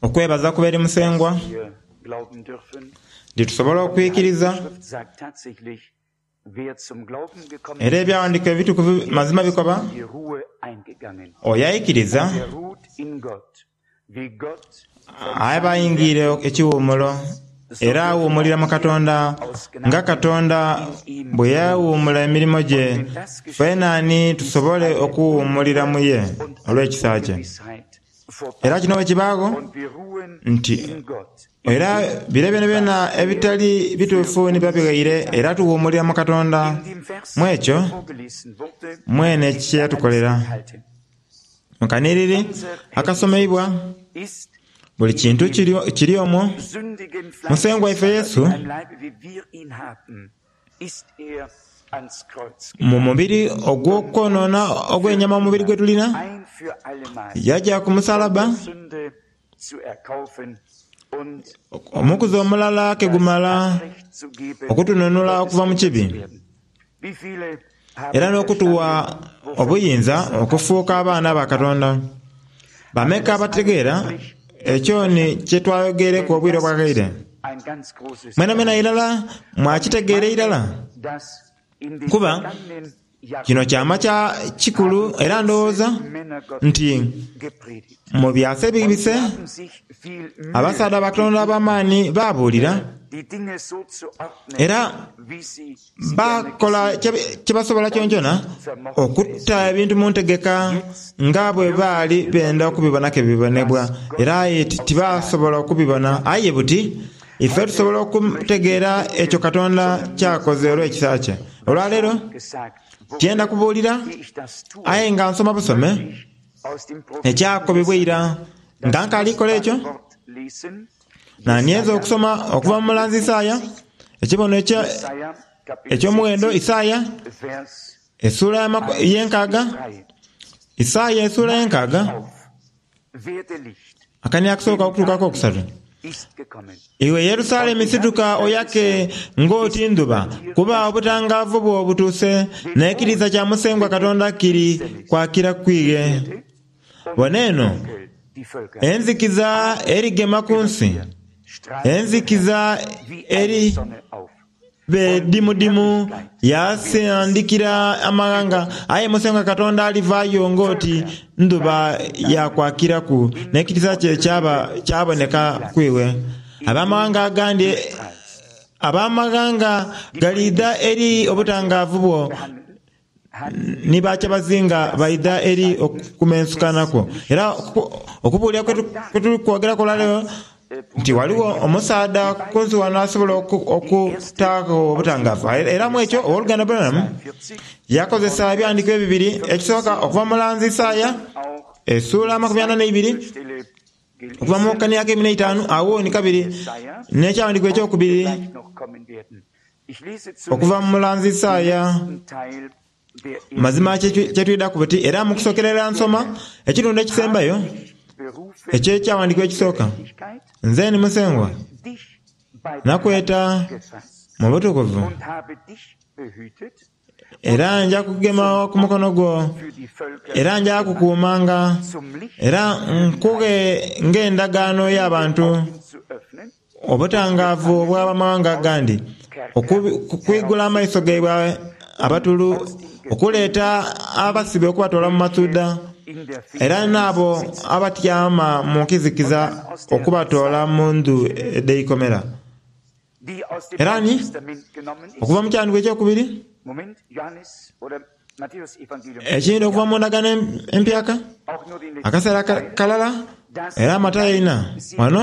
Okwebaza kube eri Musengwa nti tusobola okwikiriza. Era Ebyaghandiikibwa Ebitukuvu mazima bikoba, Oyo aikiriza aba aingiire ekiwuumulo, era awuumulira mu Katonda nga Katonda bwe yawuumula emirimo gye, fenani tusobole okuwuumulira mu ye olw'ekisa kye. Era kino bwe kibaagho nti era bire byonabyona ebitali bituufu ni biba bighaire era tuwuumulira mu Katonda mu ekyo mwene kye yatukolera. Mu kanhiriri akasomeibwa, buli kintu kiri omwo. Musengwa waife Yesu Mu mubiri ogw'okwonoona ogw'enyama omubiri gwe tulina, yaja ku musalaba omukuzi omulala ke gumala okutununula okuva mu kibi era n'okutuwa obuyinza okufuuka abaana ba Katonda. Bameka abategeera ekyo ni kye twayogeireku obwire obwaghaire? Mwenamwena irala mwakitegeera irala? Kuba kino kyama kya kikulu era ndowooza nti mu byasa ebibise abasaadha ba Katonda ab'amaani baabuulira era baakola kye basobola kyonakyona okuta ebintu mu ntegeka nga bwe baali benda okubibona ke bibonebwa, era aye tibaasobola okubibona. Aye buti Ife tusobola okutegeera ekyo Katonda ky'akoze olw'ekisa kye. Olwaleero tyenda kubuulira, aye nga nsoma busome ekyakobebwa eira. Nga nkaali kola ekyo, naanienze okusoma okuva mu mulanzi Isaaya, ekibono eky'omughendo, Isaaya essuula y'enkaaga, Isaaya essuula y'enkaaga. Akani akasooka okutuuka akokusatu. Iwe Yerusalemi situka oyake ng'oti ndhuba, kuba obutangaavu bwo butuuse, n'ekitiisa kya Musengwa Katonda kiri kwakira ku ighe. Bona eno, enzikiza erigema ku nsi, enzikiza eri. Bedimudimu yaasandikira amaghanga, aye Musengwa Katonda alivaayo ng'oti ndhuba ya kwakiraku, n'ekitiisa kye kyaboneka ku iwe. Abamaghanga agandi abamaghanga galiidha eri obutangaavu bwo, ni bakyabazinga baidha eri okumensukanha kwo. Era okubuulira kwe tuli kwogeraku olwaleero nti ghaligho omusaadha ku nsi ghano asobola okutaagho obutangaavu. Era mu ekyo Ow'oluganda Branham yakozesa ebighandiiko ebibiri, ekisooka okuva mu mulanzi Isaaya esuula amakumi ana n'eibiri okuva mu kani akeikumi n'eitaanu agho ni kabiri n'ekyawandiikibwa eky'okubiri Okuva mu mulanzi Isaaya, mazima kye twidhaku buti, era mu kusookera irala nsoma ekitundu ekisembayo eky'ekyawandiikibwa ekisooka, Nze ni Musengwa, nakweta mu butukuvu, era nja kugema ku mukono gwo, era nja kukuumanga, era nkughe ng'endagaano y'abantu. Obutangaavu obw'abamaghanga agandi, okwigula amaiso gaibwe abatulu, okuleeta abasibe okubatoola mu masuudha, era n'abo abatyama mu nkizikiza okubatoola mu ndhu edh'eikomera. Era ni, okuva mu kyandiiko ekyokubiri, Ekindi okuva mu Ndagaano Empyaka, akaseera kalala era Matayo eina ghano,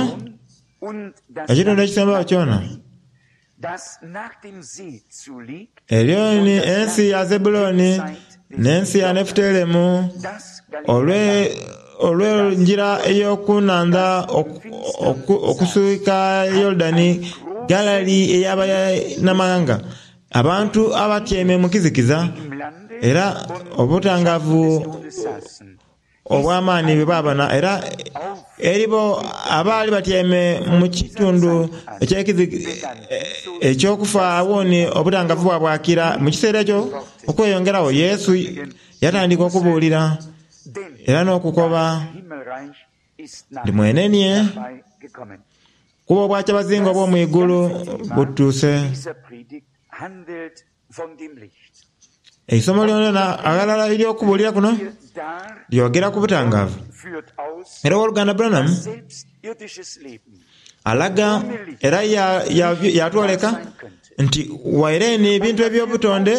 ekitundu ekisembayo kyona. Eryo ni ensi ya Zebuloni n'ensi ya Nefutelemu, olw'engira ey'oku nhandha okuswika Yorudani, Galili ey'Abanamaghanga. Abantu abatyaime mu kizikiza era obutangaavu obw'amaani bwe baabona, era eri bo abaali batyaime mu kitundu eky'okufa agho ni obutangaavu bwabwakira. Mu kiseera ekyo okweyongeragho, Yesu yatandika okubuulira era n'okukoba. Ndi mwenenie, kuba obwakyabazinga obw'omu igulu butuuse. Eisomo lyonalyona aghalala ery'okubuulira kuno lyogera ku butangaavu. Era Ow'oluganda Branham alaga era yatwoleka nti waire ni ebintu eby'obutonde,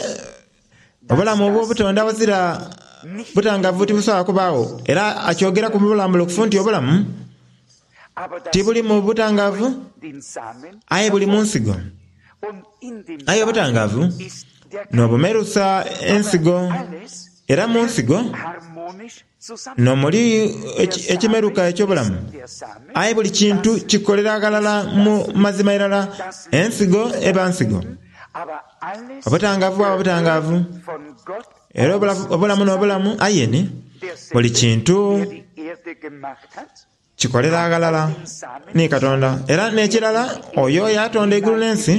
obulamu obw'obutonde awazira butangaavu tibusobola kubaagho. Era akyogeraku mu bulambulukufu nti obulamu tibuli mu butangaavu aye buli mu nsigo. Aye obutangaavu n'obumerusa ensigo, era mu nsigo n'omuli ekimeruka eky'obulamu. Aye buli kintu kikolera ghalala mu mazima irala, ensigo eba nsigo, obutangaavu bwaba butangaavu, era obulamu n'obulamu, aye ni buli kintu Kikolera aghalala ni Katonda. Era n'ekirala, oyo eyatonda eigulu n'ensi,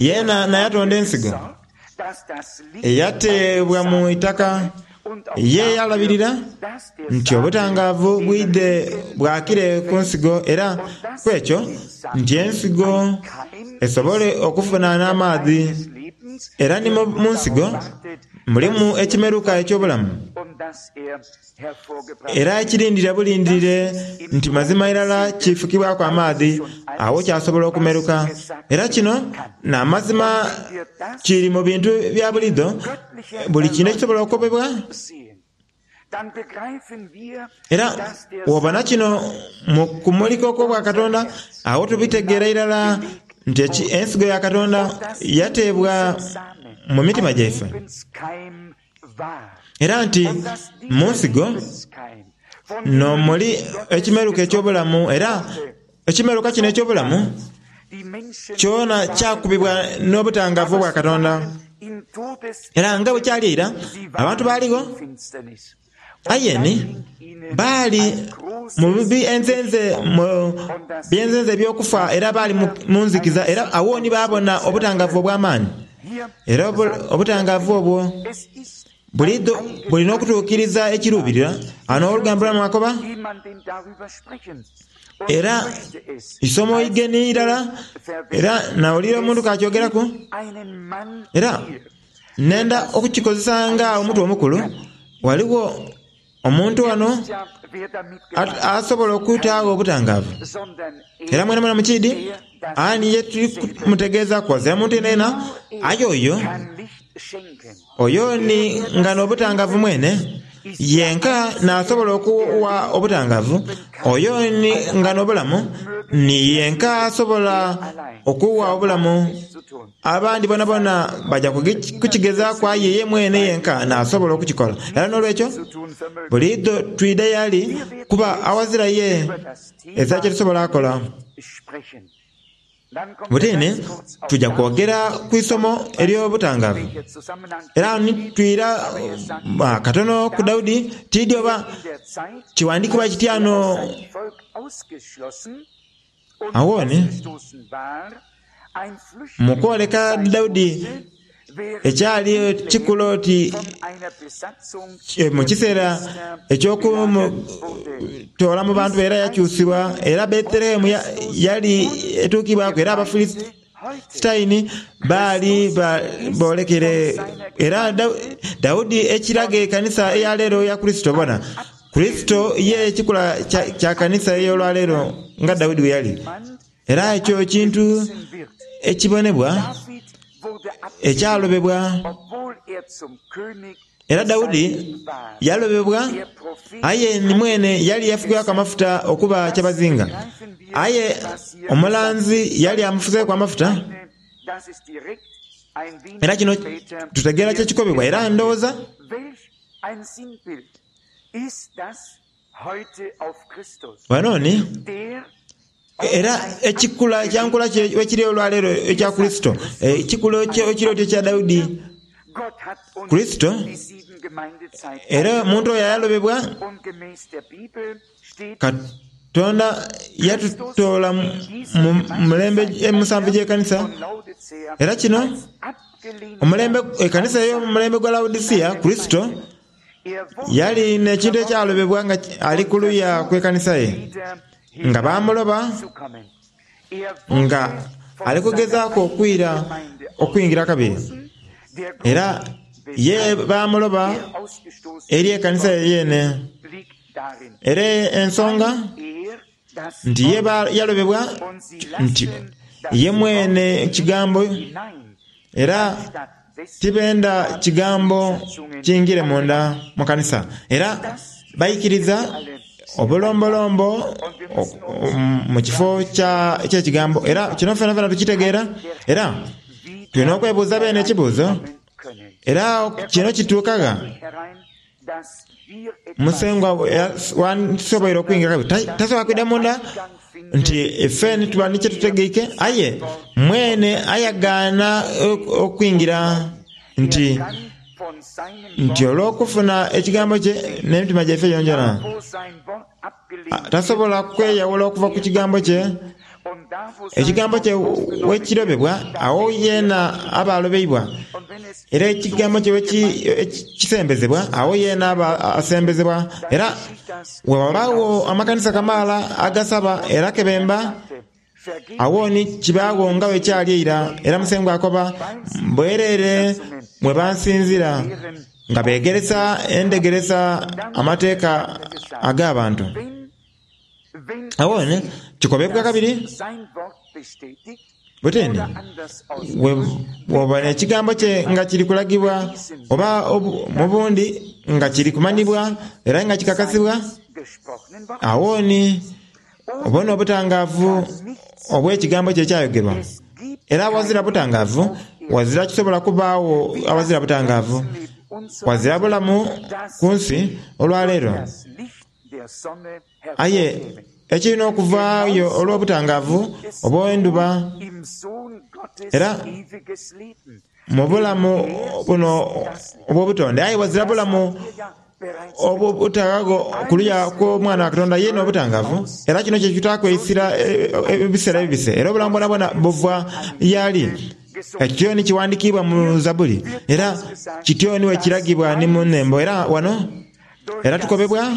yeena n'ayatonda ensigo eyateebwa mu itaka, ye yalabirira nti obutangaavu bwidhe bwakire ku nsigo era ku ekyo nti ensigo esobole okufuna n'amaadhi. Era ni mu nsigo mulimu ekimeruka eky'obulamu. Era ekirindira bulindhirire nti mazima irala kifukibwaku amaadhi, agho kyasobola okumeruka. Era kino n'amazima kiri mu bintu bya buliidho, buli kintu ekisobola okukobebwa. Era bw'obona kino mu kumulika okw'Obwakatonda, agho tubitegeera irala nti ensigo ya Katonda yateebwa mu mitima gyaife. Era nti mu nsigo n'omuli ekimeruka eky'obulamu, era ekimeruka kino eky'obulamu kyona kyakubibwa n'obutangaavu obwa Katonda. Era nga bwe kyali eira, abantu baaligho, aye ni baali mu byenzenze eby'okufa era baali mu nzikiza, era agho ni baabona obutangaavu obw'amaani. Era obutangaavu obwo buliidho buli n'okutuukiriza ekiruubirirwa. Ghano ow'oluganda Branham akoba, Era isomo igeni irala, era nawulira omuntu k'akyogeraku, era nenda okukikozesa nga omutwe omukulu. Ghaligho Omuntu ghano asobola okutaagho obutangaavu. Era mwenamwena mukiidhi ani ye tuli kumutegeezaaku ghazira muntu yenayena aye oyo. Oyo ni nga n'obutangaavu mwene, yenka n'asobola okugha obutangaavu. Oyo ni nga n'obulamu, ni yenka asobola okugha obulamu. Abandi boonaboona baja kukigezaaku aye ye mwene yenka n'asobola okukikola. Era n'olwekyo buliidho twidha y'ali kuba awazira ye ezira kye tusobola kola. Butini tuja kwogera ku isomo ery'obutangaavu. Era agho ni twira katono ku Daudi, tiidhi oba kiwandiikibwa kitya ghano. Agho ni, mu kwoleka Daudi ekyali kikula oti mu kiseera eky'okumutoola mu bantu era yakyusibwa, era Bethlehemu yali etuukibwaku era Abafilisitaini baali boolekere. Era Daudi ekiraga ekanisa eya leero eya Kurisito. Bona, Kurisito ye kikula kya kanisa ey'olwaleero nga Daudi bwe yali. Era ekyo kintu ekibonebwa ekyalobebwa. Era Daudi yalobebwa, aye ni mwene yali yafukibwaku amafuta okuba kyabazinga. Aye omulanzi yali amufuseeku amafuta. Era kino tutegeera kye kikobebwa. Era ndowooza. Ghano ni, era ekikula ekya nkula bwekiri olwaleero ekya Kurisito, ekikula ekiri oti ekya Daudi, Kurisito, era omuntu oyo ayalobebwa, Katonda yatutoola mu mulembe emusanvu egy'ekanisa, era kino, omulembe, ekanisa ey'omulembe gwa Laodicea, Kurisito. Yali n'ekintu ekyalobebwa nga ali ku luya kw'ekanisa ye, nga baamuloba nga ali kugezaaku okwira okwingira kabiri. Era ye baamuloba eri ekanisa ye yeene. Era ensonga nti ye yalobebwa nti ye mwene Kigambo, era tibenda Kigambo kingire munda mu kanisa. Era baikiriza obulombolombo mu kifo ky'Ekigambo. Era kino fenafena tukitegeera, era tulina okwebuuza beene ekibuuzo, era kino kituuka gha? Musengwa wandisoboire okwingira kabiri tasobola kwidha munda nti ife ni tuba ni kye tutegeike, aye mwene ayagaana okwingira nti nti olw'okufuna ekigambo kye n'emitima gyaife gyonagyona. Tasobola kweyawula okuva ku kigambo kye. Ekigambo kye bwekirobebwa, agho yeena aba alobeibwa. Era ekigambo kye bwekisembezebwa, agho yeena aba asembezebwa. Era bwe ghabaagho amakanisa kamaala agasaba era ke bemba, agho ni kibaagho nga bwe kyali eira. Era Musengwa akoba, Bwereere mwe bansinzira, nga beegeresa endhegeresa amateeka ag'abantu. Agho ni kikobebwa kabiri buti ni, Bw'obona ekigambo kye nga kiri kulagibwa, oba mu bundi nga kiri kumanhibwa era nga kikakasibwa, agho ni obona obutangaavu obw'ekigambo kye ekyayogerwa. Era awazira butangaavu, wazira kisobola kubaagho awazira butangaavu. Wazira bulamu ku nsi olwaleero. Aye ekirina okuvaayo olw'obutangaavu obw'endhuba, era mu bulamu buno obw'obutonde, aye wazira bulamu obutaghagho ku luya kw'Omwana wa Katonda ye n'obutangaavu. Era kino kye kitaaku eisira ebiseera ebibise, era obulamu bwonabwona buva y'ali. Ekyo ni kiwandikiibwa mu Zabbuli, era kityo ni bwe kiragibwa ni mu Nhembo. Era wano Era tukobebwa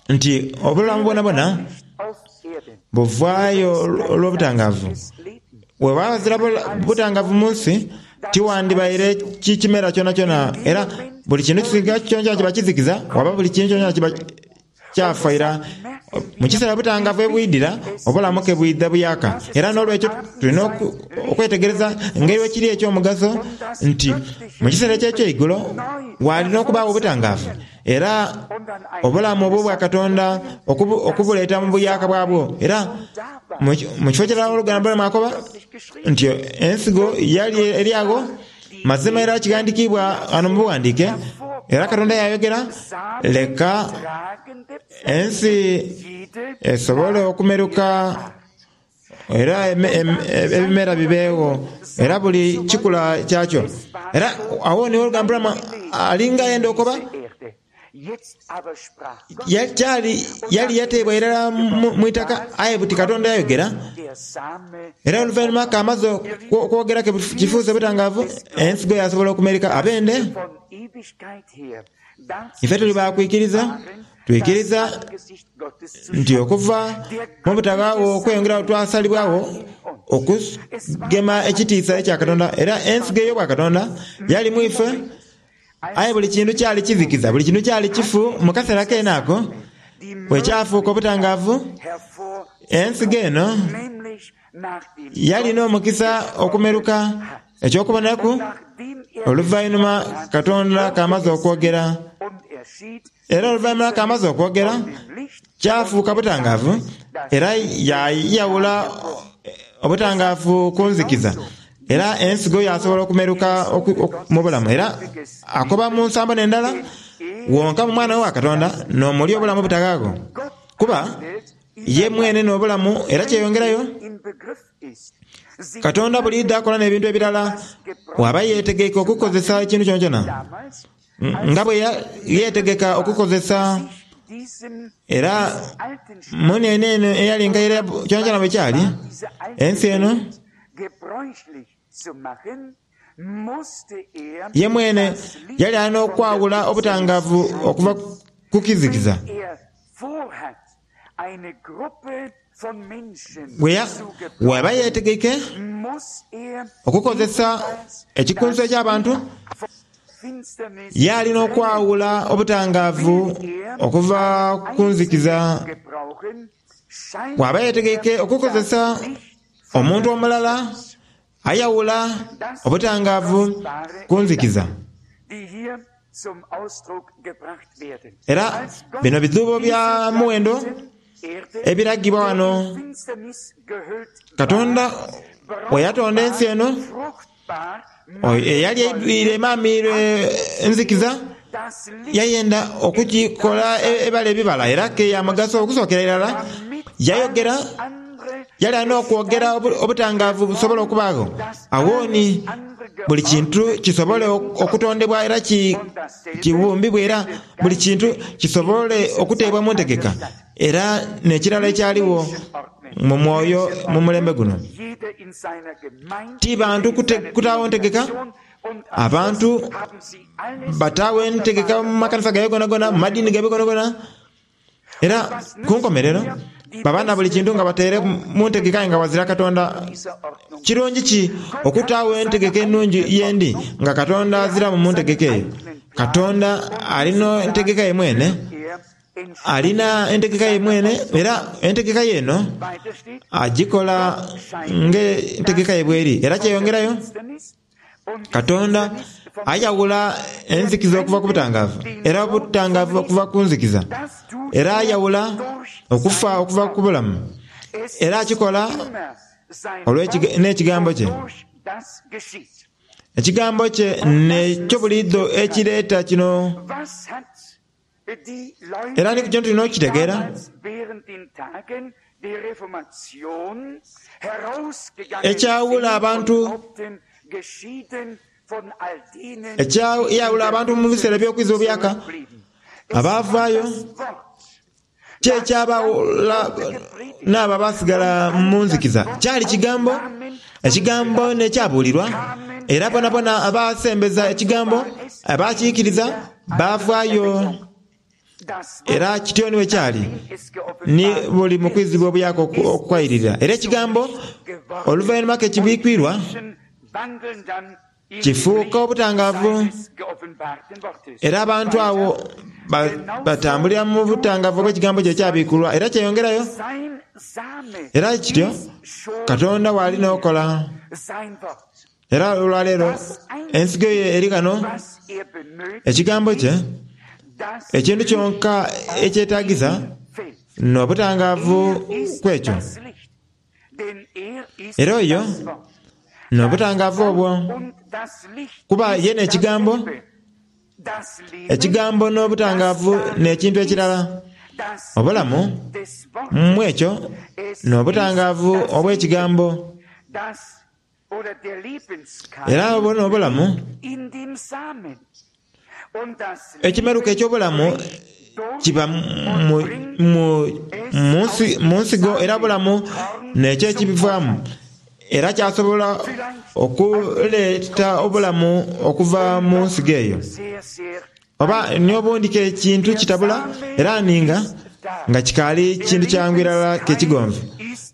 nti obulamu bwonabwona buvaayo olw'obutangaavu. Bwewaba ghazira butangaavu mu nsi, tiwandibaire kimera kyonakyona, era buli kintu kisinga kyonakyona kiba kizikiza, waba buli kintu kyonakyona kiba kyafa ira. Mu kiseera obutangaavu bwe bwidhira, obulamu ke bwidha buyaaka. Era n'olwekyo tulina okwetegereza engeri bwe kiri eky'omugaso nti mu kiseera eky'ekyeigulo waalina okubaagho obutangaavu, era obulamu obw'Obwakatonda okubuleeta mu buyaaka bwabwo. Era mu kifo kirala oluganda Branham akoba nti ensigo yali eri agho. Mazima era kighandikiibwa ghano mu bughandiike, era Katonda yaayogera, Leka ensi esobole okumeruka era ebimera bibeegho, era buli kikula kyakyo. Era agho ni olugambo lwa alinga ayenda okoba, Kyali, yali yateebwa irala mu itaka, aye buti Katonda yayogera. Era oluvainhuma k'amaze okwogera ke kifuuse butangaavu, ensigo yaasobola okumerika. Abende, ife tuli ba kwikiriza. Twikiriza nti okuva mu butaghaagho okweyongera twasalibwagho okugema ekitiisa ekya Katonda, era ensigo ey'Obwakatonda yali mu ife. Aye buli kintu kyali kizikiza, buli kintu kyali kifu mu kaseera keene ako bwe kyafuuka obutangaavu. Ensigo eno yali n'omukisa okumeruka eky'okubonaku oluvainhuma Katonda k'amaze okwogera. Era oluvainhuma k'amaze okwogera, kyafuuka butangaavu, era yaayawula obutangaavu ku nzikiza. Era ensigo yaasobola okumeruka mu bulamu. Era akoba mu nsambo n'endala, Wonka mu Mwana we wa Katonda n'omuli obulamu obutaghaagho. Kuba ye mwene n'obulamu, era kyeyongerayo. Katonda buliidho akola n'ebintu ebirala, bw'aba yeetegeike okukozesa ekintu kyonakyona. Nga bwe yeetegeka okukozesa era muunhene eno eyali enkaire kyonakyona bwe kyali, ensi eno. Ye mwene yali alina okwawula obutangaavu okuva ku kizikiza. Bw'aba yeetegeike okukozesa ekikunsu eky'abantu, ye alina okwawula obutangaavu okuva ku nzikiza. Bw'aba yeetegeike okukozesa omuntu omulala, ayawula obutangaavu ku nzikiza. Era bino bidhuubo bya muwendo ebiragibwa wano. Katonda bwe yatonda ensi eno, eyali eidhwire emaamiire enzikiza, yayenda okugikola ebale ebibala era ke ya mugaso okusookera irala yayogera Yali alina okwogera obutangaavu busobole okubaagho. Agho ni buli kintu kisobole okutondebwa era kibumbibwe era buli kintu kisobole okuteebwa mu ntegeka. Era n'ekirala ekyaligho mu mwoyo mu mulembe guno, ti bantu kutaagho ntegeka. Abantu bataagho entegeka mu makanisa gaibwe gonagona, mu madiini gaibwe gonagona. Era ku nkomerero baba na buli kintu nga bataire mu ntegeka aye nga ghazira Katonda. Kirungi ki okutaagho entegeka enungi yendi nga Katonda aziramu mu ntegeka eyo? Katonda alina entegeka ye mwene, alina entegeka ye mwene era entegeka ye eno agikola ng'entegeka ye bweri. Era kyeyongerayo. Katonda ayawula enzikiza okuva ku butangaavu, era obutangaavu okuva ku nzikiza. Era ayawula okufa okuva ku bulamu, era akikola n'Ekigambo kye. Ekigambo kye n'ekyo buliidho ekireeta kino. Era ni ku kino tulina okukitegeera. Ekyawula abantu Ekyayawula abantu mu biseera eby'okwiza obuyaaka abaavaayo Ki ekyabawula n'abo abaasigala mu nzikiza? Kyali Kigambo. Ekigambo n'ekyabuulirwa, era bonabona abaasembeza Ekigambo, abaakiikiriza, baavaayo. Era kityo ni bwe kyali ni buli mu kwizibwa obuyaaka okwairirira. Era Ekigambo, oluvainhuma ke kibikwirwa, Kifuuka obutangaavu, era abantu agho batambulira mu butangaavu obw'ekigambo kye ekyabiikulwa, era kyeyongerayo. Era kityo Katonda bw'ali n'okola. Era olwaleero ensigo ye eri ghano, Ekigambo kye, ekintu kyonka ekyetaagisa n'obutangaavu kw'ekyo. Era oyo n'obutangaavu obwo, kuba ye n'Ekigambo. Ekigambo n'obutangaavu n'ekintu ekirala. Obulamu mu ekyo n'obutangaavu obw'Ekigambo. Era obwo n'obulamu, ekimeruka eky'obulamu kiba mu, mu, mu, mu nsigo, era obulamu n'ekyo ekibivaamu. Era kyasobola okuleeta obulamu okuva mu nsigo eyo. Oba ni obundi ke kintu kitabula era ninga nga kikaali kintu kyangu irala ke kigonvu.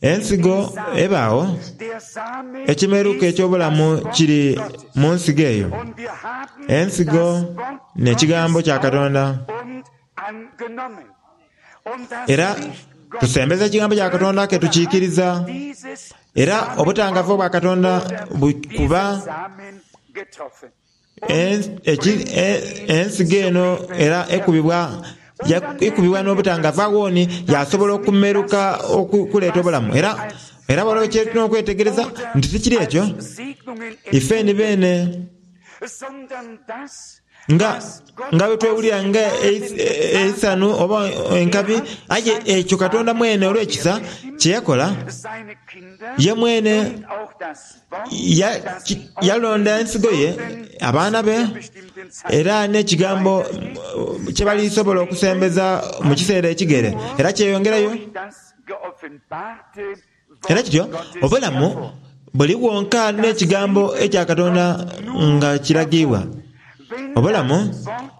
Ensigo ebaagho, ekimeruka eky'obulamu kiri mu nsigo eyo. Ensigo n'Ekigambo kya Katonda. Era tusembeza Ekigambo kya Katonda ke tukiikiriza, era obutangavu obwa Katonda bukuba Ensigo eno era ekubibwa ekubibwa n'obutangaavu agho ni yaasobola okumeruka okuleeta obulamu. Era era waliwo kye tulina okwetegereza nti tikiri ekyo ife ni beene nga nga bwe twewulira nga eisanhu oba enkabi, aye ekyo Katonda mwene olw'ekisa kye yakola, ye mwene Yalonda ensigo ye, abaana be, era n'ekigambo kye balisobola okusembeza mu kiseera ekigere. Era kyeyongerayo. Era kityo, obulamu Buli bwonka n'Ekigambo ekya Katonda nga kiragiibwa. Obulamu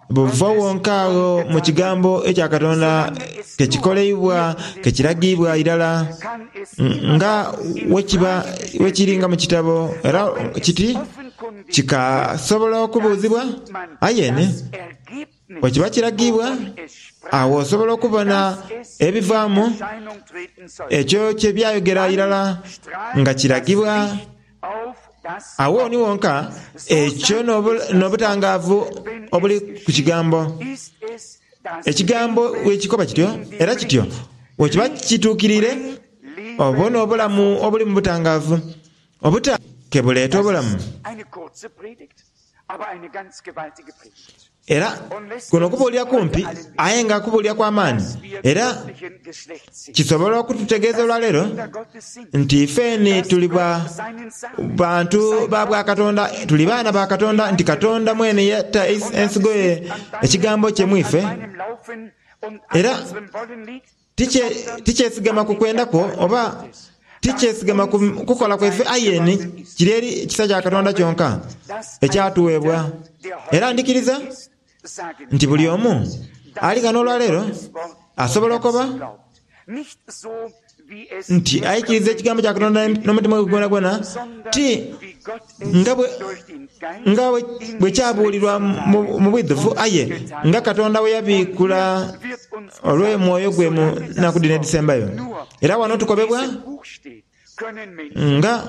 buva wonka agho mu Kigambo ekya Katonda ke kikoleibwa, ke kiragiibwa irala nga wekiba wekiri nga mu kitabo. Era kiti kikasobola okubuuzibwa, aye ni bwekiba kiragiibwa, agho osobola okubona ebivaamu ekyo kye byayogera irala nga kiragibwa. Agho ni wonka, ekyo n'obutangaavu obuli ku Kigambo. Ekigambo bwe kikoba kityo, era kityo bwe kiba kituukiriire, obwo n'obulamu obuli mu butangaavu. Obuta ke buleeta obulamu. Era kuno kubuulira kumpi aye nga kubuulira kwa maani, era kisobola okututegeeza olwaleero nti ifeni tuli bwa bantu ba bwa Katonda, tuli baana ba Katonda, nti Katonda mwene yata ensigo ye, Ekigambo kye mu ife. Era Tikyesigama ku kwenda kwo oba tikyesigama ku kukola kwaife, aye ni kiri eri kisa kya Katonda kyonka ekyatuweebwa. Era ndhikiriza nti buli omu ali ghano olwaleero asobola okoba nti aikiriza Ekigambo kya Katonda n'omutima gwe gwonagwona, ti nga bwe, nga bwe kyabuulirwa mu bwidhuvu, aye nga Katonda bwe yabiikula olw'Omwoyo gwe mu nnaku dhino edhisembayo. Era wano tukobebwa nga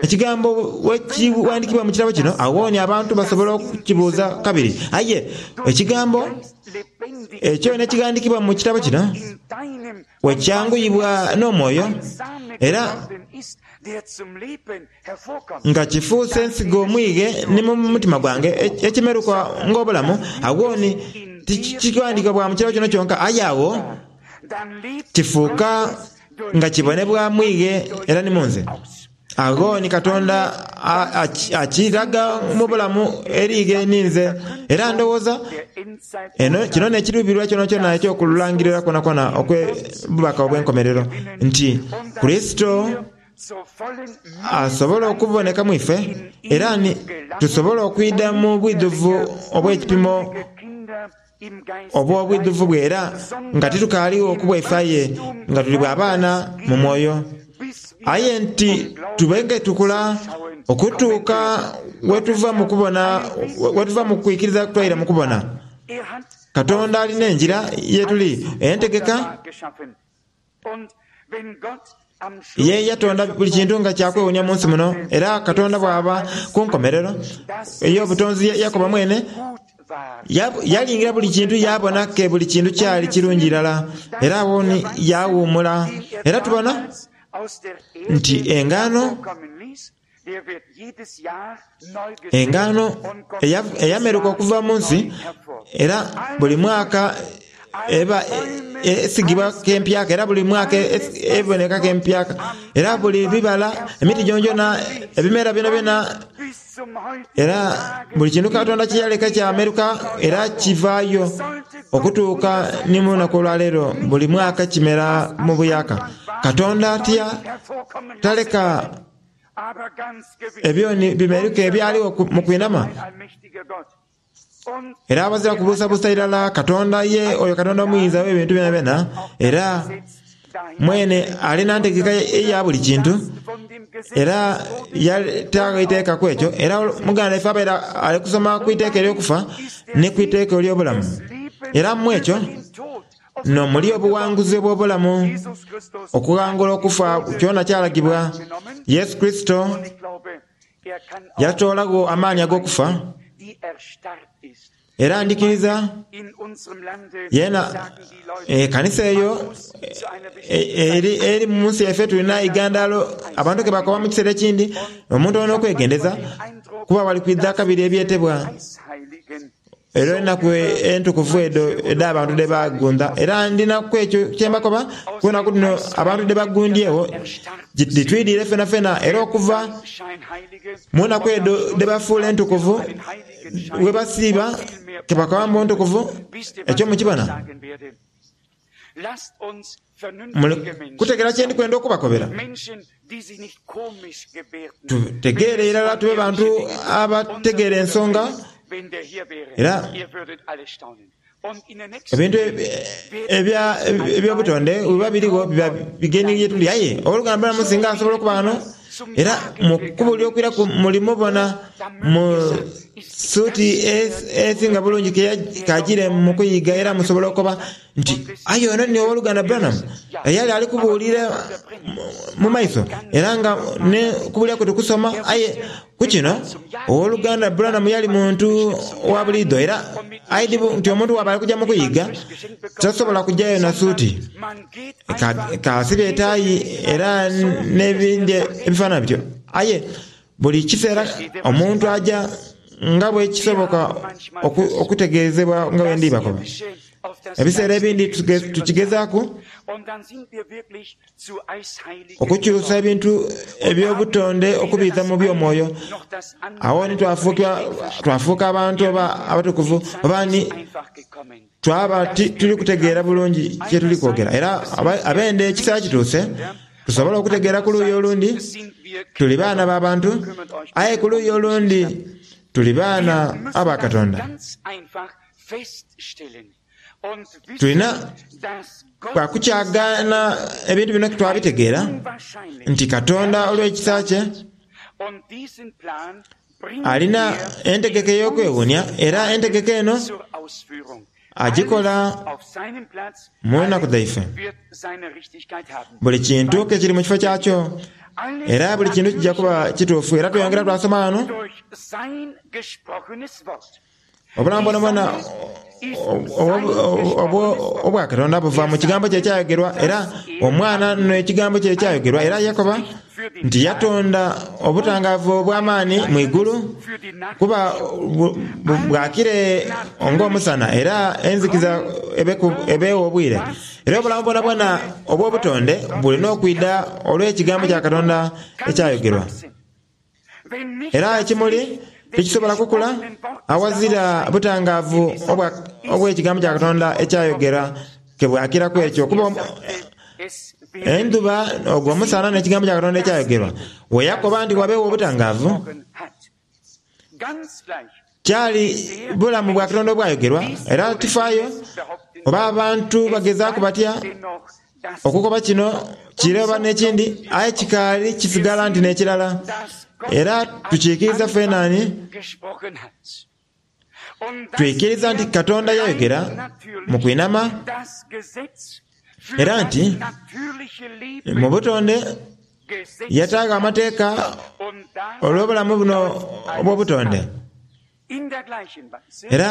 Ekigambo bwe kiwandiikibwa mu kitabo kino, agho ni abantu basobola okukibuuza kabiri. Aye Ekigambo ekyo n'ekighandiikibwa mu kitabo kino bwe kyanguyibwa n'Omwoyo, era nga kifuuse ensigo mwighe ni mu mutima gwange, ekimeruka ng'obulamu, agho ni tikighandiikibwa bwa mu kirabo kino kyonka, aye agho kifuuka nga kibonebwa mwighe era ni mu nze. Agho ni Katonda akiraga mu bulamu eri ighe ni nze. Era ndowooza eno kino n'ekiruubirirwa kyonakyona eky'okulangirira kwonakwona okw'obubaka obw'enkomerero, nti Kurisito asobole okuboneka mu ife, era ni tusobola okwidha mu bwidhuvu obw'ekipimo obw'obwidhuvu bwe, era nga titukaaligho ku bwaife aye nga tuli bwa baana mu mwoyo. Aye nti tube nga tukula okutuuka wetuva mu kubona, wetuva mu kwikiriza twaira mu kubona. Katonda alina engira yetuli entegeka. Ye yatonda buli kintu nga kya kwewuunia mu nsi muno, era Katonda bw'aba ku nkomerero ey'obutonzi yakoba mwene, yalingira buli kintu yaabona ke buli kintu kyali kirungi irala, era agho ni yaawuumula. Era tubona nti engaano Engaano eyameruka okuva mu nsi era buli mwaka eba esigibwa k'empyaka era buli mwaka eboneka k'empyaka era buli bibala, emiti gyonagyona, ebimera byonabyona era buli kintu Katonda kye yaleka kyameruka era kivaayo okutuuka ni mu lunaku olwaleero buli mwaka kimera mu buyaaka. Katonda atya taleka Ebyo ni bimeruka ebyaligho mu kwinhama. Era abazira kubuusabuusa irala Katonda ye oyo Katonda Omuyinza w'ebintu byonabyona, era mwene ali na ntegeka eya buli kintu, era yataagho eiteeka ku ekyo. Era muganda waife abaire ali kusoma ku iteeka ery'okufa ni ku iteeka ery'obulamu. Era mu ekyo N'omuli obuwanguzi obw'obulamu, okughangula okufa kyona kyalagibwa. Yesu Kurisito yatoolagho amaani ag'okufa, era ndhikiriza yeena ekanisa eyo eri mu nsi yaife. Tulina eigandaalo abantu ke bakoba mu kiseera ekindi, omuntu olina okwegendeza kuba wali kwidha kabiri ebyetebwa. Era enaku entukuvu edho edh'abantu dhe baagundha, era ndina ku ekyo kye mbakoba, ku enaku dhino abantu dhe bagundhyegho dhitwidhire fenafena. Era okuva mu naku edho dhe bafuula entukuvu, bwe basiiba ke bakoba mbu ntukuvu, ekyo mukibona? Muli kutegeera kye ndi kwenda okubakobera? Tutegeere irala tube bantu abategeera ensonga era ebintu eby'obutonde bwebiba birigho biba bigeni ye tuli. Aye ow'oluganda Branham singa asobola okuba ghano era mu kubuulira okwiraku mulimubona mu suuti esinga bulungi k'ajiire mu kuyiga era musobola okukoba nti, Aye ono ni Ow'oluganda Branham eyali ali kubuulira mu maiso, era nga n'okubuulira kwe tikusoma. Aye ku kino, Ow'oluganda Branham yali muntu wa buliidho, era aidhi nti omuntu bw'aba ali kuja mu kuyiga, tasobola kujayo na suuti, k'asibe etaayi era n'ebindi ebifaanana bityo. Aye buli kiseera omuntu aja nga bwe kisoboka okutegeezebwa nga bwe ndi bakoba. Ebiseera ebindi tukigezaaku okukyusa ebintu eby'obutonde okubiiza mu by'omwoyo. Agho ni twafuuka abantu oba abatukuvu oba ni twaba tituli kutegeera bulungi kye tuli kwogera. Era abende ekiseera kituuse tusobole okutegeera ku luuyi olundi tuli baana ba bantu, aye ku luuyi olundi tuli baana aba Katonda. Tulina bwa kukyagaana ebintu bino twabitegeera nti Katonda olw'ekisa kye alina entegeka ey'okwewuunia era entegeka eno agikola mu nnaku dhaife. Buli kintu ke kiri mu kifo kyakyo era buli kintu kija kuba kituufu. Era tweyongera twasoma ghano. Obulamu bwonabwona obwa Katonda buva mu Kigambo kye ekyayogerwa, era Omwana n'Ekigambo kye ekyayogerwa. Era yakoba nti yatonda obutangaavu obw'amaani mu igulu kuba bwakire ng'omusana, era enzikiza ebeegho obwire. Era obulamu bwonabwona obw'obutonde buli n'okwidha olw'Ekigambo kya Katonda ekyayogerwa. Era ekimuli tikisobola kukula aghazira butangaavu obw'ekigambo kya Katonda ekyayogera ke bwakiraku ekyo, kuba endhuba, ogwo omusana, n'ekigambo kya Katonda ekyayogerwa. Bwe yakoba nti wabeegho obutangaavu, kyali bulamu bwa Katonda obwayogerwa. Era tifaayo oba abantu bagezaaku batya okukoba kino, kire oba n'ekindi, aye kikaali kisigala nti n'ekirala. Era tukiikiriza fenani, twikiriza nti Katonda yayogera mu kwinama, era nti mu butonde yataagho amateeka olw'obulamu buno obw'obutonde. Era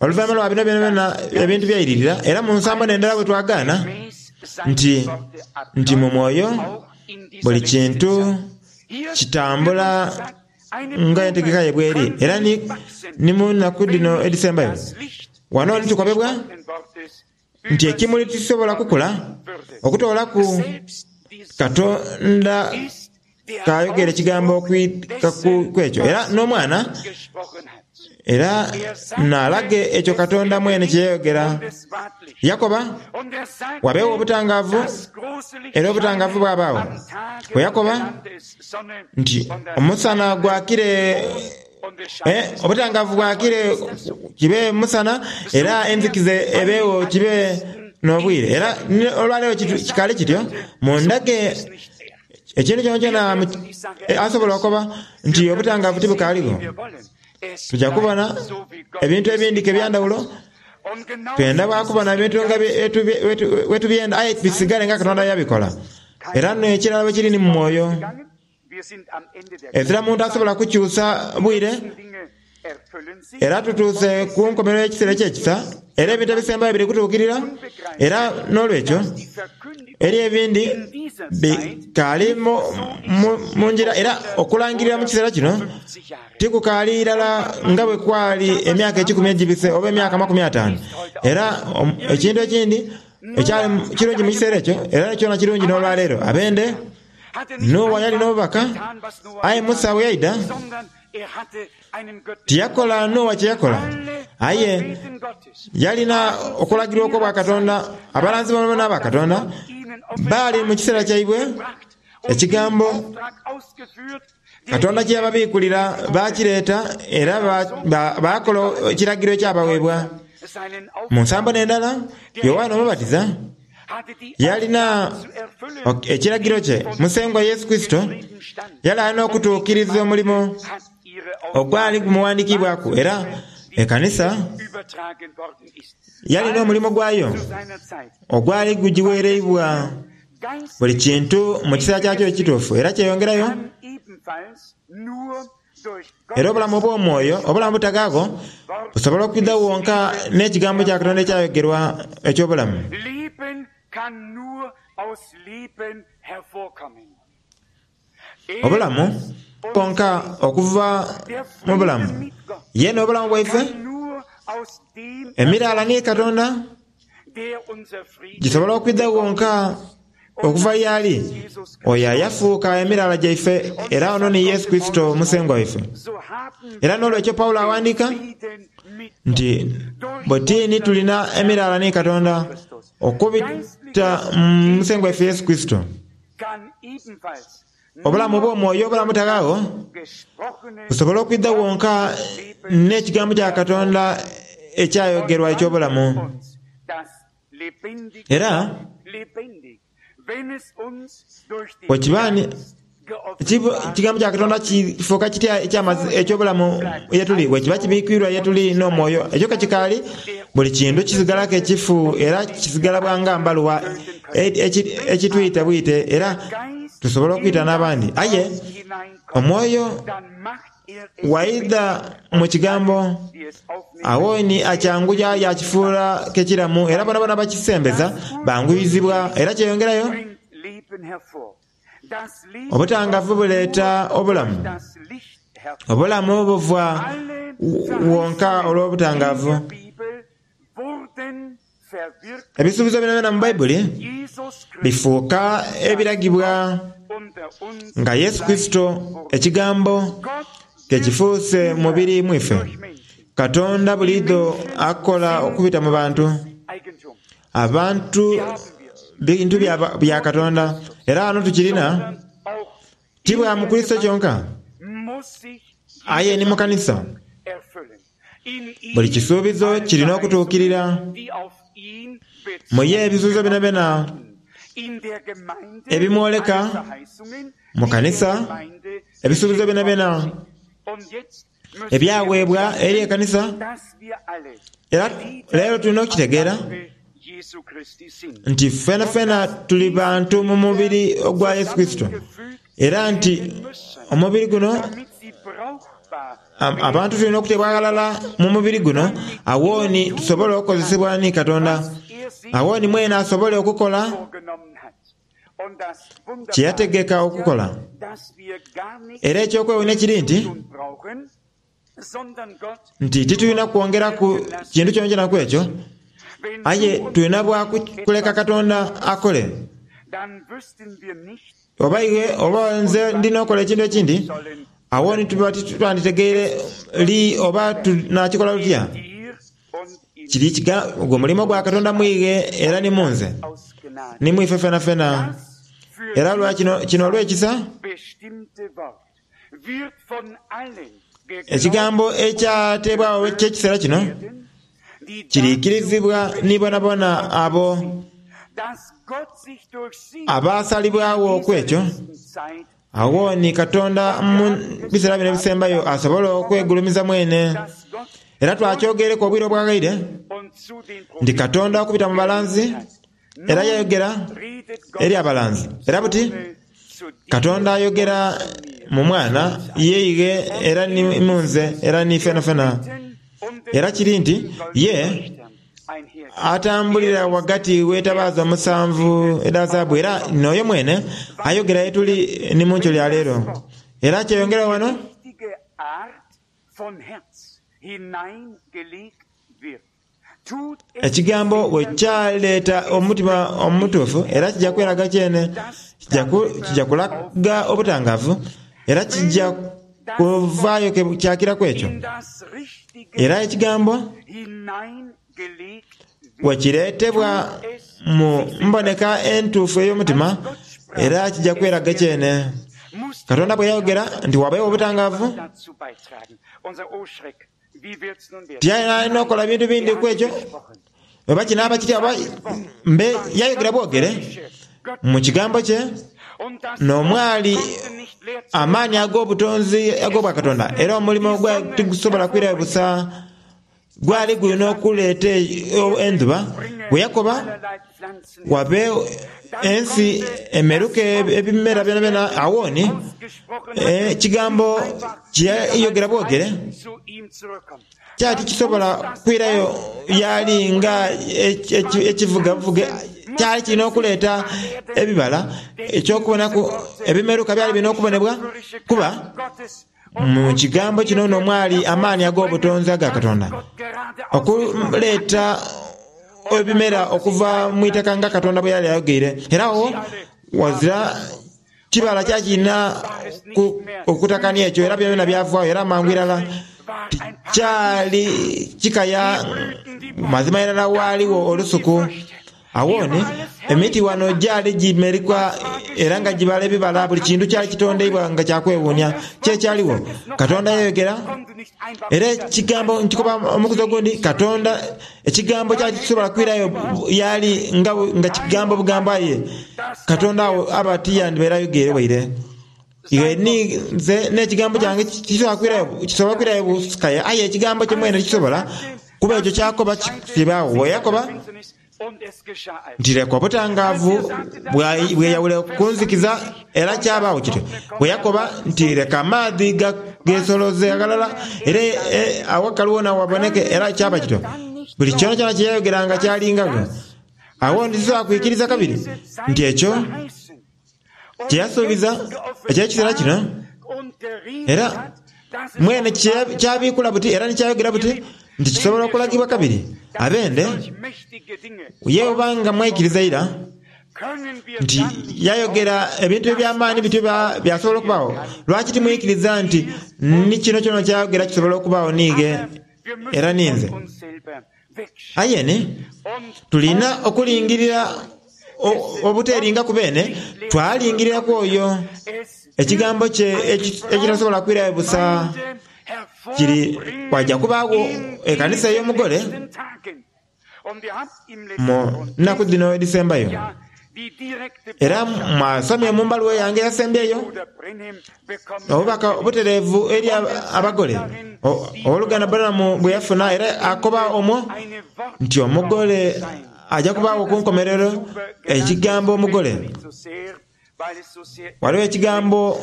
oluvainhuma lwa bino byonabyona ebintu byairirira, era mu nsambo n'endala bwe twagaana nti, nti mu mwoyo buli kintu kitambula nga entegeka ye bw'eri, era ni, ni mu naku dhino edhisembayo. Wano ni tukobebwa nti ekimuli tikisobola kukula okutoolaku Katonda k'ayogera ekigambo okwika ku ekyo, era n'Omwana era n'alage ekyo Katonda mwene kye yayogera. Yakoba, Wabeegho obutangaavu, era obutangaavu bwabaagho. Bwe yakoba nti omusana gwakire, obutangaavu bwakire kibe musana, era enzikiza ebeegho kibe n'obwire. Era olwaleero kikaali kityo mu ndage. Ekintu kyonakyona asobola okoba nti obutangaavu tibukaaligho. Tuja kubona ebintu ebindi ke eby'endhawulo. Twenda bwa kubona ebintu nga bwe tubyenda aye bisigale nga Katonda yabikola. Era n'ekirala bwe kiri ni mu mwoyo. Ezira muntu asobola kukyusa bwire. Era tutuuse ku nkomerero y'ekiseera eky'ekisa, era ebintu ebisembayo biri kutuukirira, era n'olwekyo eriyo ebindi bikaali mu ngira, era okulangirira mu kiseera kino tikukaali irala nga bwe kwali emyaka ekikumi egibise oba emyaka 50. Era ekintu ekindi ekyali kirungi mu kiseera ekyo, era kyona kirungi n'olwaleero. Abende, Noa yali n'obubaka, aye Musa bwe yaidha, Tiyakola Noa kye yakola, aye yalina okulagirwa okw'obwakatonda. Abalanzi boonaboona aba Katonda baali mu kiseera kyaibwe. Ekigambo Katonda kye yababiikulira baakireeta era baakola ekiragiro ekyabaweebwa. Mu nsambo n'endala, Yoanne Omubatiza yalina ekiragiro kye Musengwa Yesu Kurisito yali alina okutuukiriza omulimo ogwali gumughandikiibwaku era ekanisa yalina omulimo gwayo ogwali gugiweereibwa. Buli kintu mu kiseera kyakyo ekituufu era kyeyongerayo. Era obulamu obw'omwoyo, obulamu obutaghaagho, busobola okwidha wonka n'Ekigambo kya Katonda ekyayogerwa eky'obulamu. Obulamu bwonka okuva mu bulamu. Ye n'obulamu bwaife, emiraala ni Katonda gisobola okwidha wonka okuva y'ali oyo ayafuuka emiraala gyaife era ono ni Yesu Kurisito Musengwa waife. Era n'olwekyo Paulo awandiika nti bwetini tulina emiraala ni Katonda okubita mu Musengwa waife Yesu Kurisito. Obulamu obw'omwoyo obulamu obutaghagho busobola okwidha wonka n'Ekigambo kya Katonda ekyayogerwa eky'obulamu. Era bwe kiba ni Ekigambo kya Katonda kifuuka kitya eky'obulamu ye tuli? Bwe kiba kibiikwirwa ye tuli n'omwoyo, ekyo ke kikaali, buli kintu kisigalaku ekifu era kisigala bwa nga mbaluwa ekitwita bwite era tusobola okwita n'abandi. Aye omwoyo bw'aidha mu Kigambo, agho ni akyanguya yaakifuula ke kiramu era boonaboona abakisembeza banguyizibwa era kyeyongerayo. Obutangavu buleeta obulamu. Obulamu buva wonka olw'obutangavu. Ebisuubizo byonabyona mu Baibuli bifuuka ebiragibwa nga Yesu Kurisito, Ekigambo, ke kifuuse mubiri mu ife. Katonda buliidho akola okubita mu bantu. Abantu bintu bya Katonda, era ghano tukirina ti bwa mu Kurisito kyonka, aye ni mu kanisa. Buli kisuubizo kirina okutuukirira. Mu ye ebisuubizo byonabyona ebimwoleka mu kanisa, ebisuubizo byonabyona ebyaweebwa eri ekanisa, era leero tulina okukitegeera nti fenafena tuli bantu mu mubiri ogwa Yesu Kurisito, era nti omubiri guno Abantu tulina okuteebwa aghalala mu mubiri guno, agho ni tusobole okukozesebwa ni Katonda. Agho ni mwene asobole okukola kye yategeka okukola. Era eky'okwewuunia kiri nti, nti titulina kwongeraku kintu kyonakyona ku ekyo, aye tulina bwa kuleka Katonda akole. Oba iwe oba nze ndi n'okola ekintu ekindi, agho ni tuba titwanditegeire li oba tunaakikola tutya. Kiri gwe mulimo gwa Katonda mu ighe era ni mu nze, ni mu ife fenafena. Era lwa kino, kino olw'ekisa, ekigambo ekyateebwagho eky'ekiseera kino kiriikirizibwa ni boonaboona abo abaasalibwagho ku ekyo. Agho ni Katonda mu biseera bino ebisembayo asobole okwegulumiza mwene. Era twakyogereku obwire obwaghaire nti Katonda okubita mu balanzi era yayogera eri abalanzi. Era buti Katonda ayogera mu Mwana ye ighe era ni mu nze era ni fenafena. Era kiri nti ye atambulira ghagati w'etabaaza omusanvu edha zaabu era n'oyo mwene ayogera ye tuli ni mu nkyo lya leero. Era kyeyongera ghano. Ekigambo bwe kyaleeta omutima omutuufu era kija kweraga kyene, kija kulaga obutangaavu era kija kuvaayo kyakiraku ekyo. Era Ekigambo bwe kireetebwa mu mboneka entuufu ey'omutima, Era kija kweraga kyene. Katonda bwe yayogera nti wabeewo obutangaavu, tiyalina okukola bintu bindi ku ekyo, oba kinaaba kitya oba mbe, yayogera bwogere mu kigambo kye n'omwali amaani ag'obutonzi ag'obwakatonda, era omulimo gwe tigusobola kwirayo busa. Gwali gulina okuleeta endhuba, bwe yakoba, Wabeegho ensi emeruke ebimera byonabyona. Agho ni ekigambo kye yayogera bwogere kyali tikisobola kwirayo yaali nga ekivugavuge. Kyali kirina okuleeta ebibala, eky'okubonaku ebimeruka byali birina okubonebwa, kuba Mu kigambo kino n'omwali amaani ag'obutonzi aga Katonda okuleeta ebimera okuva mu itaka nga Katonda bwe yali ayogeire. Era agho ghazira kibala kyali kirina okutakania ekyo, era byonabyona byavaayo. Era mangu irala tikyali kikaya, mazima irala ghaligho olusuku. Agho ni, emiti ghano gyali gimerikwa era nga gibala ebibala, buli kintu kyali kitondeibwa nga kya kwewuunia. Ki ekyaligho? Katonda yayogera, era Ekigambo, nkikoba omukuzi ogundi, Katonda, Ekigambo kyali tikisobola kwirayo y'ali nga, nga Kigambo bugambo, aye Katonda agho aba tiyandibaire ayogeire waire. Iwe ni nze n'ekigambo kyange tikisobola kwirayo, kisobola kwirayo busikaya, aye ekigambo kye mwene tikisobola, kuba ekyo ky'akoba kibaagho. Bwe yakoba nti, Leka obutangaavu bweyawule ku nzikiza, era kyabaagho kityo. Bwe yakoba nti, Leka amaadhi geesoloze aghalala, era aghakali wona waboneke, era kyaba kityo. Buli kyonakyona kye yayogeranga kyalingagho. Agho ndidha kwikiriza kabiri nti ekyo kye yasuubiza eky'ekiseera kino, era mwene ky'abiikula buti era ni ky'ayogera buti nti kisobola okulagibwa kabiri. Abende, ye oba nga mwaikiriza ira nti yayogera ebintu eby'amaani bityo byasobola okubaagho, lwaki timwikiriza nti ni kino kyona ky'ayogera kisobola okubaagho niighe era ninze? Aye ni, tulina okulingirira obuteeringa ku beene, twalingirira ku oyo Ekigambo kye ekitasobola kwirayo busa. Kiri waja kubaagho Ekanisa ey'Omugole mu nnaku dhino edhisembayo. Era mwasomye mu mbaluwa yange eyasembyeyo obubaka obutereevu eri abagole, Ow'oluganda Branham bwe yafuna, era akoba omwo nti Omugole aja kubaagho ku nkomerero, ekigambo Omugole. Ghaligho ekigambo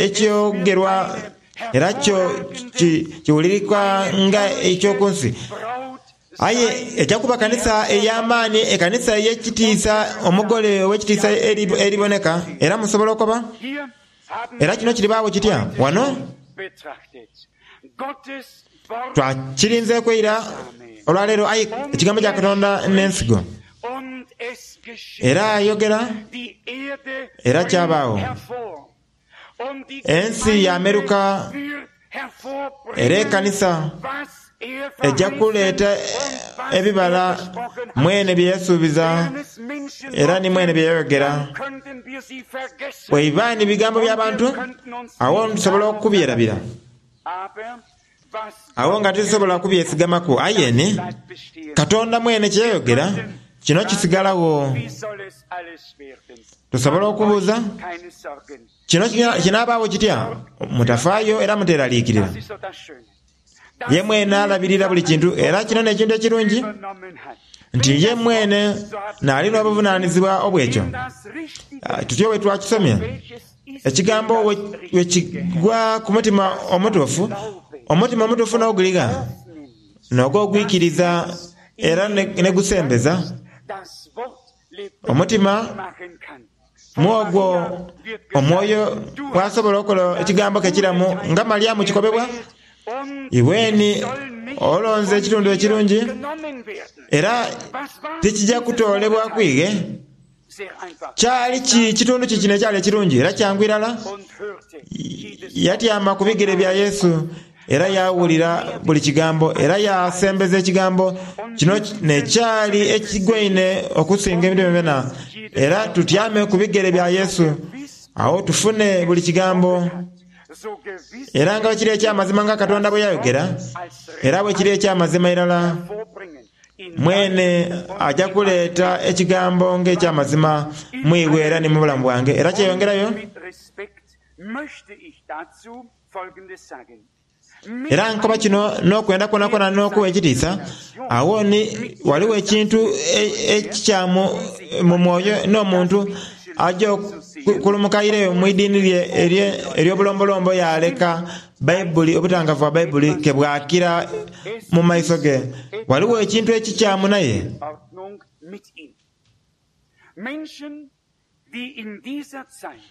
ekyogerwa era kyo kiwulirika nga eky'oku nsi. Aye eja kuba kanisa ey'amaani, ekanisa ey'ekitiisa, Omugole ow'ekitiisa eriboneka. Era musobola okoba, Era kino kiribaagho kitya? Wano twakirinzeeku eira olwaleero, aye Ekigambo kya Katonda n'ensigo. Era ayogera, era kyabaagho. Ensi yaameruka, era ekanisa eja kuleeta ebibala mwene bye yasuubiza era ni mwene bye yayogera. Bweiba ni bigambo bya bantu, agho tusobola okubyerabira. Agho nga titusobola kubyesigamaku. Aye ni Katonda mwene kye yayogera, kino kisigalagho. Tusobola okubuuza, Kino kinabaagho kitya? Mutafaayo era muteeraliikirira. Ye mwene alabirira buli kintu, era kino n'ekintu ekirungi nti ye mwene naali n'obuvunaanizibwa obw'ekyo. Tutyo bwe twakisomye, ekigambo bwe kigwa ku mutima omutuufu, omutima omutuufu n'oguligha, n'ogwo ogwikiriza era ni gusembeza omutima Mu ogwo omwoyo bw'asobola okola ekigambo ke kiramu, nga Malyamu kikobebwa, Iweni olonze ekitundu ekirungi, era tikija kutoolebwaku ighe. Kyali ki kitundu ki kino ekyali ekirungi? Era kyangu irala, yatyama ku bigere bya Yesu. Era yaawulira buli Kigambo, era yaasembeza Ekigambo. Kino n'ekyali ekigwaine okusinga ebintu byonabyona. Era tutyame ku bigere bya Yesu, agho tufune buli Kigambo. Era nga bwe kiri eky'amazima nga Katonda bwe yayogera, era bwe kiri eky'amazima irala, mwene aja kuleeta Ekigambo ng'eky'amazima mu iwe era ni mu bulamu bwange. Era kyeyongerayo. Era nkoba kino n'okwenda kwonakwona n'okuwa ekitiisa. Agho ni ghaligho ekintu ekikyamu mu mwoyo n'omuntu aja okulumuka aireyo mu idiini lye ery'obulombolombo yaaleka Baibuli, obutangavu bwa Baibuli ke bwakira mu maiso ge. Ghaligho ekintu ekikyamu naye.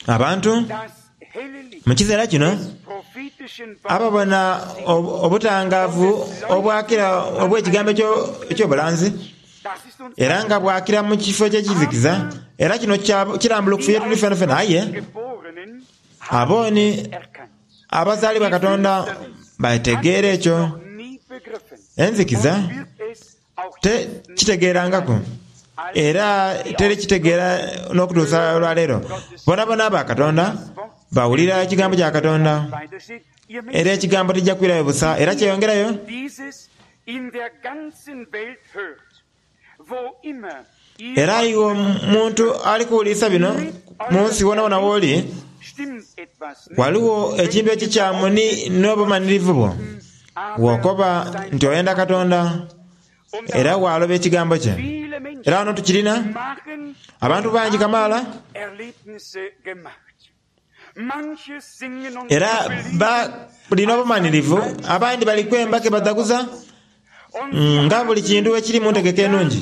Abantu mu kiseera kino ababona obutangaavu obwakira obw'ekigambo eky'obulanzi era nga bwakira mu kifo eky'ekizikiza, era kino kirambulukufu ye tuli fenafena. Aye abo ni abazaalibwa Katonda bategeera ekyo. Enzikiza Tekitegeerangaku, era terikitegeera n'okutuusa olwaleero. Boonaboona aba Katonda bawulira ekigambo kya Katonda, era ekigambo tija kwirayo busa, era kyeyongerayo. Era iwe omuntu ali kuwulirisa bino, mu nsi wonawona w'oli, ghaligho ekintu ekikyamu ni n'obumanhirivu bwo. Bw'okoba nti oyenda Katonda era waaloba ekigambo kye. Era ghano tukirina, abantu bangi kamaala era balina obumanhirivu, abandi bali kwemba ke badhaguza nga buli kintu bwe kiri mu ntegeka enungi.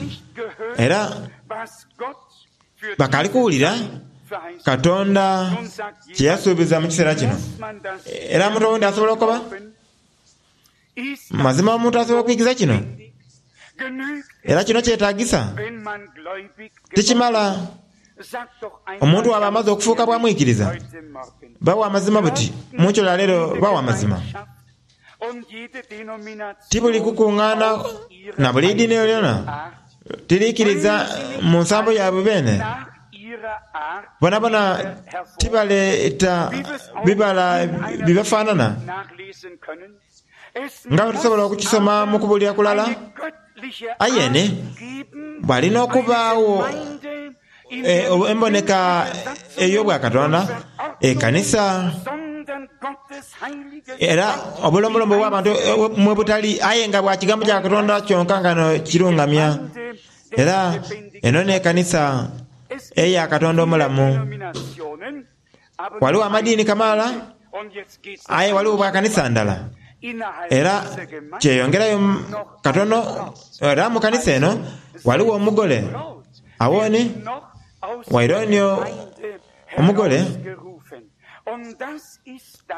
Era Bakaali kuwulira Katonda kye yasuubiza mu kiseera kino. Era omuntu owundi asobola okukoba, Mazima omuntu asobola okwikiza kino? Era kino kyetagisa? Tikimala omuntu bw'aba amaze okufuuka bwa mwikiriza, ba wa mazima buti, mu nkyo ya leero ba wa mazima. Ti buli kukungaana na buli idini yonayona tiriikiriza mu nsambo yaibwe beene. Bonabona tibaleeta bibala bibafaanana, nga bwe tusobola okukisoma mu kubuulira kulala. Aye ni ghalina okubaagho emboneka ey'obwakatonda, ekanisa, era obulombolombo obw'abantu mwe butali, aye nga bwa Kigambo kya Katonda kyonka nga kirungamya. Era eno n'ekanisa eya Katonda omulamu. Ghaligho amadiini kamaala, aye ghaligho bwa kanisa ndala. Era kyeyongerayo katono, era mu kanisa eno ghaligho omugole. Agho ni, waire ni omugole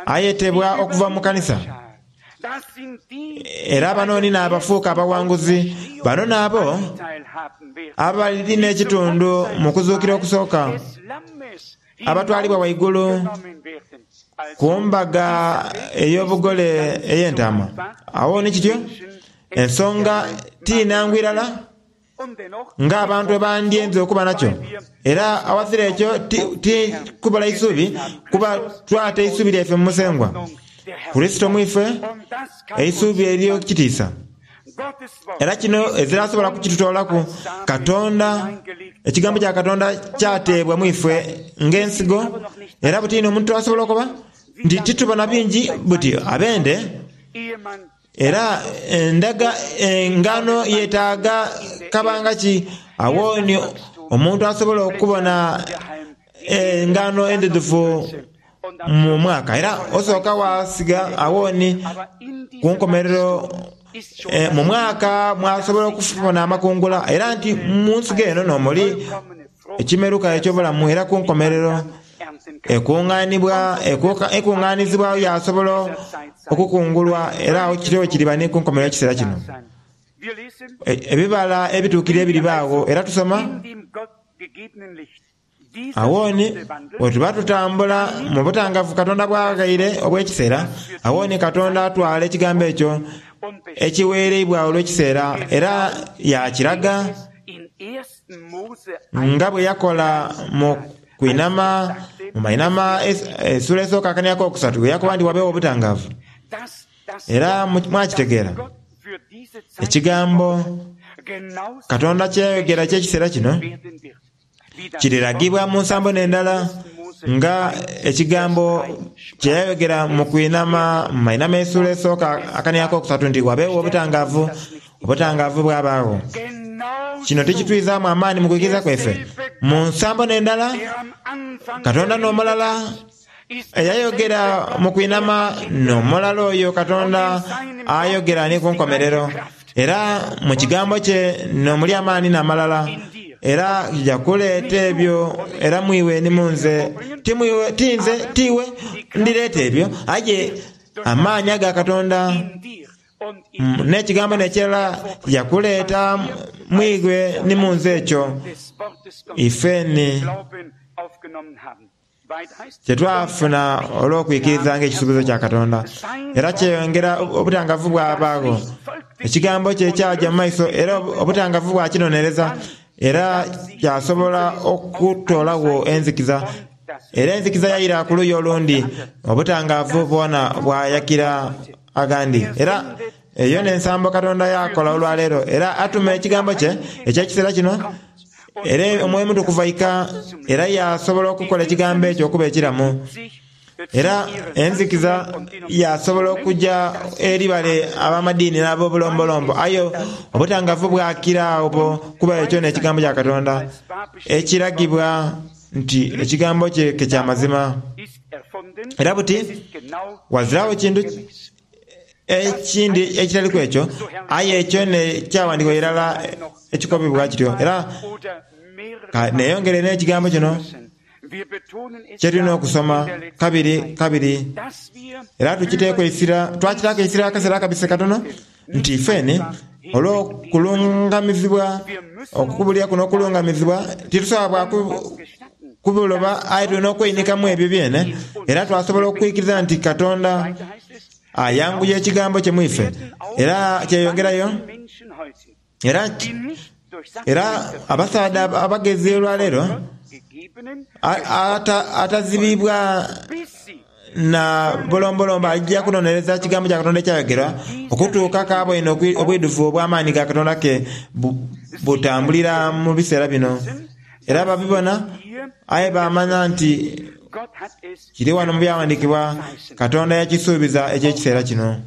ayetebwa okuva mu kanisa. Era bano ni n'abafuuka abawanguzi. Bano n'abo abali n'ekitundu mu kuzuukira okusooka, abatwalibwa waigulu ku mbaga ey'obugole ey'Entaama. Agho ni kityo, ensonga ti nhangu irala ng'abantu bwe bandyenze okuba nakyo. Era awazira ekyo ti kubula isuubi, kuba twata eisuubi lyaife mu Musengwa Kurisito mu ife, eisuubi ery'ekitiisa. Era kino ezira asobola kukitutoolaku. Katonda, Ekigambo kya Katonda kyateebwa mu ife ng'ensigo, era buti inho omuntu asobola okukoba nti titubona bingi buti abende. Era endaga engano yetaaga kabanga ki? Agho ni omuntu asobola okubona engano endhidhuvu mu mwaka. Era osooka waasiga agho ni ku nkomerero mu mwaka mwasobola okufuna amakungula. Era nti mu nsigo eno n'omuli ekimeruka eky'obulamu era ku nkomerero ekungaanizibwa yaasobola okukungulwa era agho kityo bwe kiriba ni ku nkomerero y'ekiseera kino. Ebibala ebituukirire biribaagho era tusoma. Agho ni bwe tuba tutambula mu butangavu Katonda bw'aghaire obw'ekiseera, agho ni Katonda atwala ekigambo ekyo ekigheereibwa olw'ekiseera era yaakiraga nga bwe yakola mu kwinama mu mainama esula esooka akania akokusatu bwe yakoba nti wabeewo obutangaavu. Era mwakitegeera? Ekigambo Katonda kye yayogera eky'ekiseera kino kiriragibwa mu nsambo n'endala nga ekigambo kye yayogera mu kwinama mu mainama esula esooka akania akokusatu nti wabeewo obutangaavu, obutangaavu bwabaagho. Kino tikitwizaamu amaani mu kwikiriza kwaife? Mu nsambo n'endala, Katonda n'omulala Eyayogera mu kwinama n'omulala oyo Katonda ayogera ni ku nkomerero. Era mu Kigambo kye n'omuli amaani n'amalala, era kija kuleeta ebyo, era mu iwe ni mu nze, ti mu iwe, ti nze, ti iwe ndireeta ebyo, aye amaani aga Katonda n'Ekigambo n'ekirala kija kuleeta mu iwe ni mu nze ekyo ife ni. Kye twafuna olw'okwikiriza ng'ekisuubizo kya Katonda, era kyeyongera obutangavu bwabaagho. Ekigambo kye kyaja mu maiso era obutangavu bwakinonereza, era kyasobola okutoolagho enzikiza. Era enzikiza yaira ku luuyi olundi, obutangaavu bwona bwayakira aghandi. Era eyo n'ensambo Katonda y'akola olwaleero, era atuma Ekigambo kye eky'ekiseera kino. Era Omwoyo Omutukuvu aika era yaasobola okukola Ekigambo ekyo okuba ekiramu. Era enzikiza yaasobola okuja eri bale ab'amadiini n'ab'obulombolombo, aye obutangavu bwakira obwo, kuba ekyo n'Ekigambo kya Katonda ekiragibwa nti Ekigambo kye ke kya mazima. Era buti ghaziragho kintu Ekindi ekitali ku ekyo, aye ekyo n'ekyawandiikibwa irala ekikobebwa kityo. Era ka neeyongere n'ekigambo kino kye tulina okusoma kabiri kabiri, era tukiteeku eisira, twakitaaku eisira akaseera akabise katono, nti ifeni olw'okulungamizibwa, okukubulira kuno okulungamizibwa, titusobola bwa kubiloba, aye tulina okweinhikamu ebyo byene, era twasobola okwikiriza nti Katonda Ayanguya ekigambo kye mu ife, era kyeyongerayo. Era, era abasaadha abagezi olwaleero, atazibiibwa na bulombolombo aija kunonereza kigambo kya Katonda ekyayogerwa okutuuka k'aboine obwidhuvu obw'amaani ga Katonda ke butambulira mu biseera bino. Era babibona, aye baamanya nti Kiri wano mu Byawandiikibwa, Katonda yakisuubiza eky'ekiseera kino.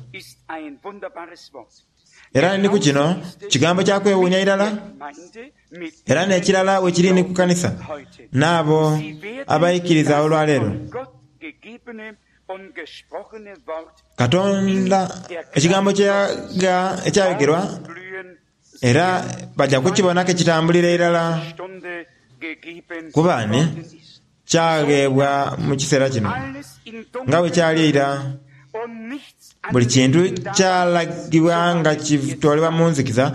Era ni ku kino, kigambo kya kwewuunia irala. Era n'ekirala bwe kiri ni ku kanisa, n'abo abaikiriza olwaleero. Katonda, Ekigambo kye yagha ekyayogerwa, era baja kukibona ke kitambulira irala, kuba ni kyagheebwa mu kiseera kino nga bwe kyali eira. Buli kintu kyalagibwa nga kitoolebwa mu nzikiza.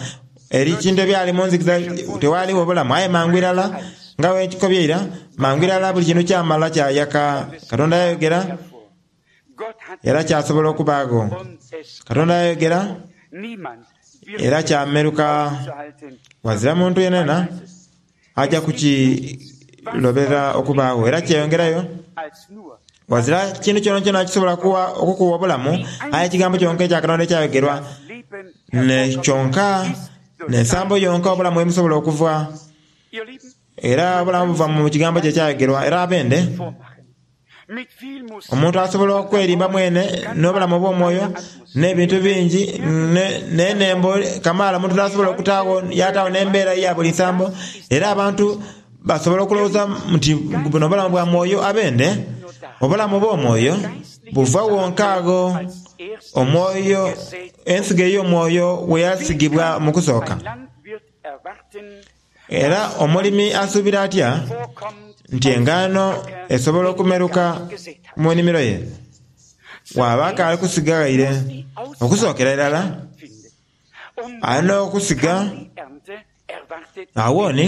Eri kintu ebyali mu nzikiza tewaaligho bulamu, aye mangu irala, nga bwe nkikobye eira, mangu irala buli kintu kyamala kyayaka. Katonda yayogera, era kyasobola okubaagho. Katonda yayogera, era kyameruka. Ghazira muntu yenayena aja kukilobera okubaagho. Era kyeyongerayo, Ghazira kintu kyonakyona kisobola okukuwa obulamu, aye Ekigambo kyonka ekya Katonda ekyayogerwa, kyonka, n'ensambo yonka obulamu ghe busobola okuva. Era obulamu buva mu Kigambo kye ekyayogerwa. Era abende, omuntu asobola okwerimba mwene n'obulamu obw'omwoyo n'ebintu bingi n'enembo kamaala omuntu dh'asobola okutaagho yaataagho n'embeera eya buli nsambo. Era abantu basobola okulowooza nti buno bulamu bwa mwoyo. Abende, obulamu obw'omwoyo buva wonka agho omwoyo, ensigo ey'omwoyo we yasigibwa mu kusooka. Era omulimi asuubira atya nti engaano esobola okumeruka mu nimiro ye bw'aba akaali kusiga ghaire? Okusookera irala, alina okusiga. Agho ni,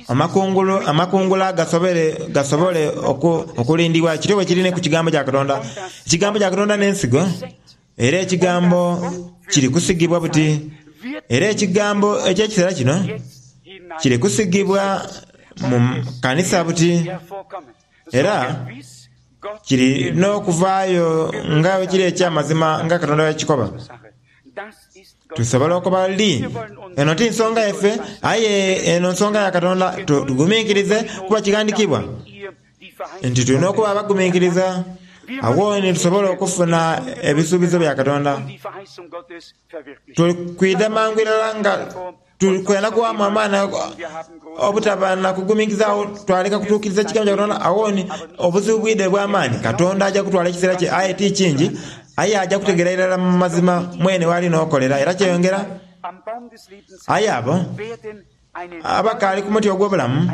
Amakungulu, amakungula gasobole, gasobole oku, okulindibwa. Kityo bwe kiri ni ku Kigambo kya Katonda. Ekigambo kya Katonda n'ensigo, era Ekigambo kiri kusigibwa buti. Era Ekigambo eky'ekiseera kino kiri kusigibwa mu kanisa buti, era kiri n'okuvaayo nga bwe kiri eky'amazima nga Katonda bwe yakikoba. Tusobola okuba li, eno ti nsonga yaife, aye eno nsonga ya Katonda. Tuguminkirize, kuba kighandikibwa nti tulina okuba abaguminkiriza, agho ni tusobola okufuna ebisuubizo bya Katonda. Tuli kwidha mangu irala nga tuli kwenda kuwaamu amaani obutaba na kuguminkiriza agho twaleka kutuukiriza kigambo kya Katonda. Agho ni obuzibu bwidha obw'amaani. Katonda aja kutwala ekiseera kye, aye ti kingi, aye aja kutegeera irala mu mazima mwene w'ali n'okolera. Era kyeyongera. Aye abo abakaali ku muti ogw'obulamu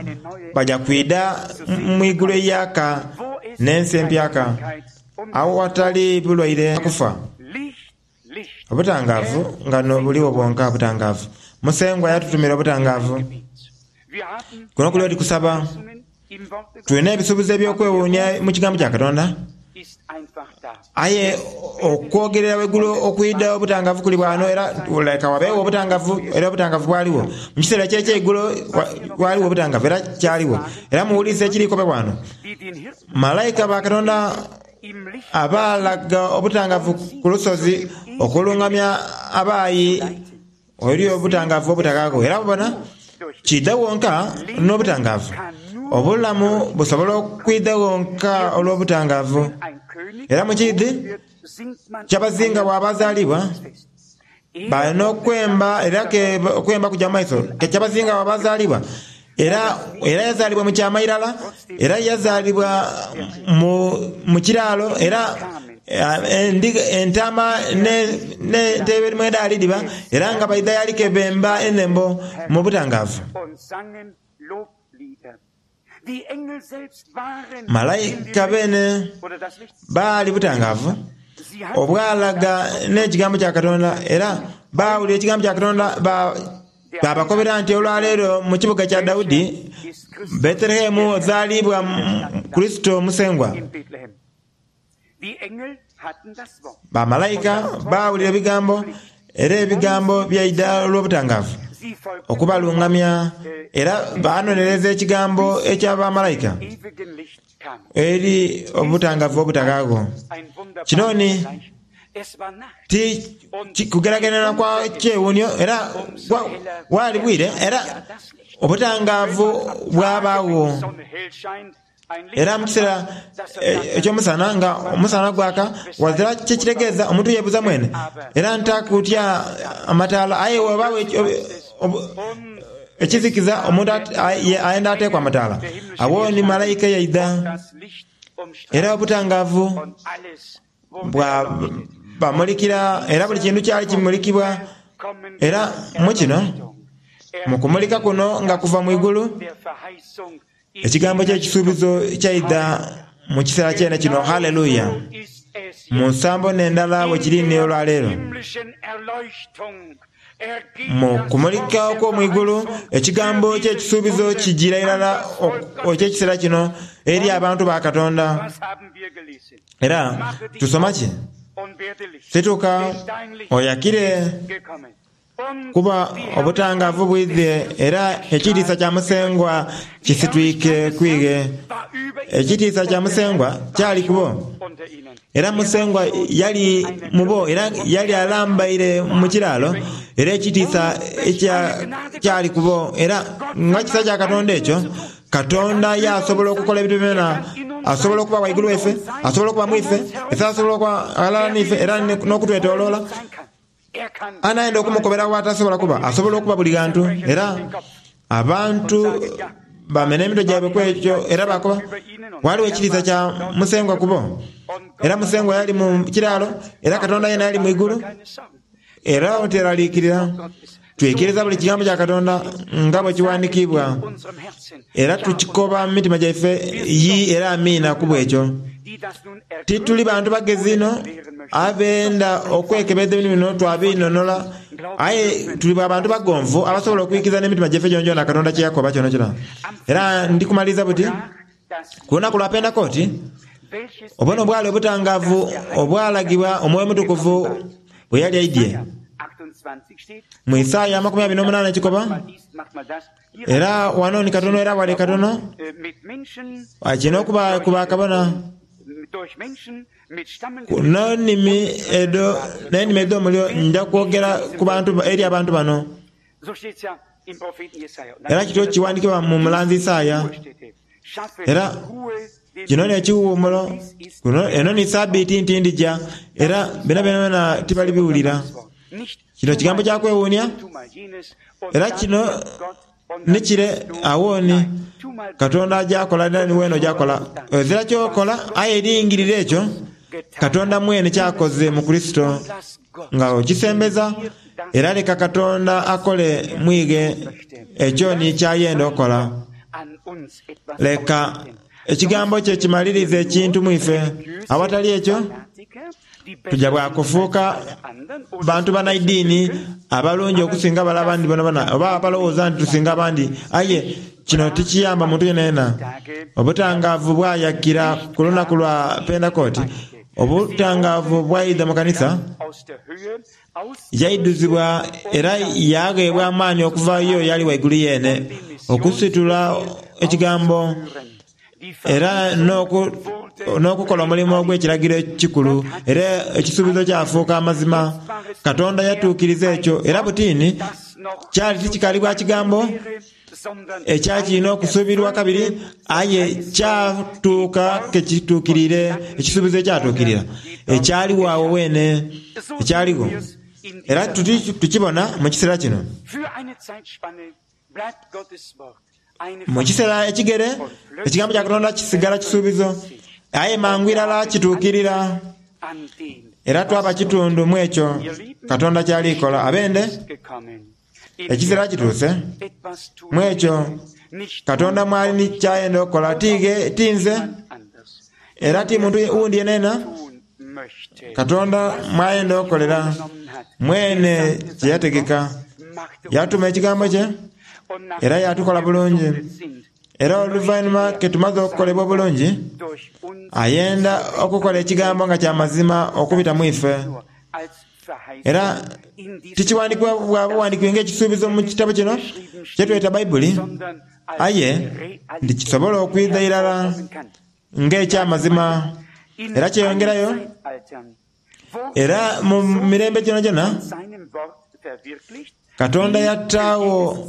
baja kwidha mu igulu eiyaaka n'ensi empyaka, awatali bulwaire na kufa. Obutangaavu nga n'obuligho bwonka butangaavu. Musengwa yatutumira obutangaavu. Kuno kuli oti kusaba. Tulina ebisuubizo eby'okwewuunia mu Kigambo kya Katonda, aye okwogerera waigulu okwidha obutangaavu kuli bwano era leka wabeegho obutangaavu era obutangaavu bwaligho. Mu kiseera eky'ekyeigulo ghaligho obutangaavu era kyaligho. Era muwulise ekiri kobebwa wano. Malaika ba Katonda Abaalaga obutangaavu ku lusozi okulungamya abaayi eri obutangaavu obutaghaagho. Era bona, kiidha wonka n'obutangaavu. Obulamu busobola okwidha wonka olw'obutangaavu. Era mu kiidhi kyabazinga bw'aba azaalibwa, Bali n'okwemba era ke okwemba kuja mu maiso. Ke kyabazinga bw'aba azaalibwa. Era, era yazaalibwa mu kyama irala, era yazaalibwa mu, mu kiraalo, era endiga, entaama n'ente ebirimu edhaali dhiba, era nga baidha y'ali ke bemba enhembo mu butangaavu. Malaika beene baali butangaavu obwalaga n'ekigambo kya Katonda, era baawulira ekigambo kya Katonda baabakobera nti olwaleero mu kibuga kya Daudi, Bethelehemu, ozaalibwa Kurisito Musengwa. Bamalaika baawulira ebigambo, era ebigambo byaidha olw'obutangaavu okubalungamya, era baanonereza ekigambo ekya bamalaika eri obutangaavu obutaghaagho. Kino ni ti kugeragerana kwa kyewuunhio, era bwali bwire, era obutangaavu bwabaagho. Era mu kiseera eky'omusana nga omusana gwaka, ghazira kye kitegeeza omuntu yeebuuza mwene, era ntakutya amataala. Aye bwewabaawo ekizikiza, omuntu ayenda ateeku amataala. Agho ni malaika yaidha, era obutangaavu bwabamulikira, era buli kintu kyali kimulikibwa. Era mu kino, mu kumulika kuno nga kuva mu igulu, Ekigambo ky'ekisuubizo kyaidha mu kiseera kyene kino. Haleluya! Mu nsambo n'endala bwe kiri ni olwaleero. Mu kumulika okw'omu igulu, Ekigambo ky'ekisuubizo kijiira irala eky'ekiseera kino eri abantu ba Katonda. Era tusoma ki? Situka oyakire. Kuba obutangaavu bwidhie, era ekitiisa kya Musengwa kisitwike ku ighe. Ekitiisa kya Musengwa kyali ku bo, era Musengwa yali mu bo, era yali alambaire mu kiraalo, era ekitiisa kyali ku bo. Era nga kisa kya Katonda ekyo, Katonda yaasobola okukola ebintu byonabyona. Asobola okuba ghaigulu waife, asobola okuba mu ife, asobola okuba ghalala n'ife, era n'okutwetoloola. Anaayenda okumukobera w'atasobola kuba, asobola okuba buli ghantu. Era abantu baamena emitwe gyaibwe ku ekyo era baakoba, Ghaligho ekitiisa kya Musengwa ku bo. Era Musengwa yali mu kiraalo, era Katonda yeena yali mu igulu. Era oteraliikirira. Twikiriza buli kigambo kya Katonda nga bwe kiwandikiibwa, era tukikoba mu mitima gyaife, Yii era Amiina ku bw'ekyo. Tituli bantu bagezi inho abenda okwekebedha ebintu bino twabinhonola, aye tuli bwa bantu bagonvu abasobola okwikiriza n'emitima gyaife gyonagyona Katonda kye yakoba kyonakyona. Era ndi kumaliriza buti, ku lunaku lwa Pentekooti, obwo n'obwali obutangaavu obwalagibwa Omwoyo Omutukuvu bwe yali aidhie. Mu Isaaya 28 ekikoba. Era wano ni katono era wale katono, kirina okuba ku bakabona n'enimi edho n'enimi edh'omuliro nja kwogera ku bantu eri abantu bano. Era kityo kiwandikibwa mu mulanzi Isaaya. Era kino n'ekiwuumulo, eno ni Sabiiti nti ndija, era bino byonabyona tibalibiwulira. Kino kigambo kya kwewuunia, era kino ni kire agho ni Katonda aja kola era ni weena oja kola. Ozira ky'okola aye lingirira ekyo Katonda mwene ky'akoze mu Kurisito nga okisembeza, era leka Katonda akole mu ighe ekyo ni ky'ayenda okola. Leka Ekigambo kye kimalirize ekintu mu ife. Awatali ekyo, tuja bwa kufuuka bantu banaidiini abalungi okusinga bale abandi bonabona, oba abalowooza nti tusinga abandi. Aye kino tikiyamba muntu yenayena. Obutangaavu bwayakira ku lunaku lwa Pentekooti. Obutangaavu bwaidha mu kanisa, yaidhuzibwa era yaagheebwa amaani okuva y'oyo Ali Waigulu Yeene okusitula Ekigambo era n'okukola omulimo ogw'ekiragiro ekikulu, era ekisuubizo kyafuuka amazima. Katonda yatuukiriza ekyo, era butini kyali tikikaali bwa Kigambo ekyali okusuubirwa kabiri, aye kyatuuka ke kituukiriire, ekisuubizo ekyatuukirira, ekyaligho agho weene, ekyaligho. Era tuti tukibona mu kiseera kino. Mu kiseera ekigere, Ekigambo kya Katonda kisigala kisuubizo, aye mangu irala kituukirira, era twaba kitundu mu ekyo Katonda ky'ali kola. Abende, ekiseera kituuse mu ekyo Katonda mw'ali ni ky'ayenda okukola, ti nze, era ti muntu wundi yenayena, Katonda mw'ayenda okukolera mwene kye yategeka. Yatuma ekigambo kye era yaatukola bulungi. Era oluvainhuma ke tumaze okukolebwa obulungi, ayenda okukola ekigambo nga kya mazima okubita mu ife. Era tikiwandikibwa bwa buwandikibwe ng'ekisuubizo mu kitabo kino kye tweta Baibuli, aye nti kisobola okwidha irala ng'eky'amazima. Era kyeyongerayo, Era mu mirembe gyonagyona Katonda yataagho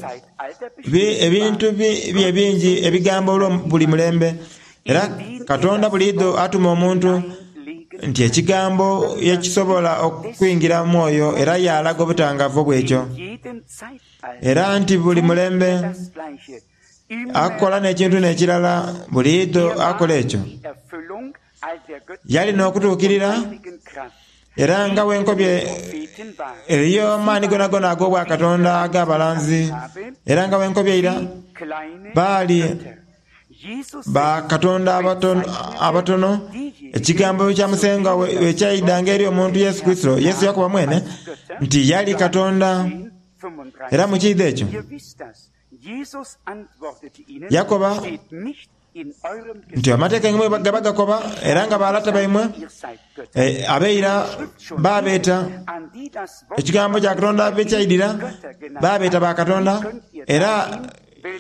ebintu bye bingi ebigambo olwo buli mulembe. Era Katonda buliidho atuma omuntu nti ekigambo ye kisobola okwingira mu mwoyo era yaalaga obutangaavu obw'ekyo. Era nti buli mulembe akola n'ekintu n'ekirala buliidho akola ekyo. Yali n'okutuukirira, era nga bwe nkobye, eriyo amaani gonagona ag'Obwakatonda ag'abalanzi, era nga bwe nkobye eira, baali bakatonda abatono. Ekigambo kya Musengwa bwe kyaidhanga eri omuntu Yesu Kurisito, Yesu yakoba mwene nti yali Katonda. Era mu kiidho ekyo yakoba nti amateeka gaimwe gaba gakoba, era nga balata baimwe abeira baabeeta ekigambo kya Katonda be kyaidhira, baabeeta bakatonda. Era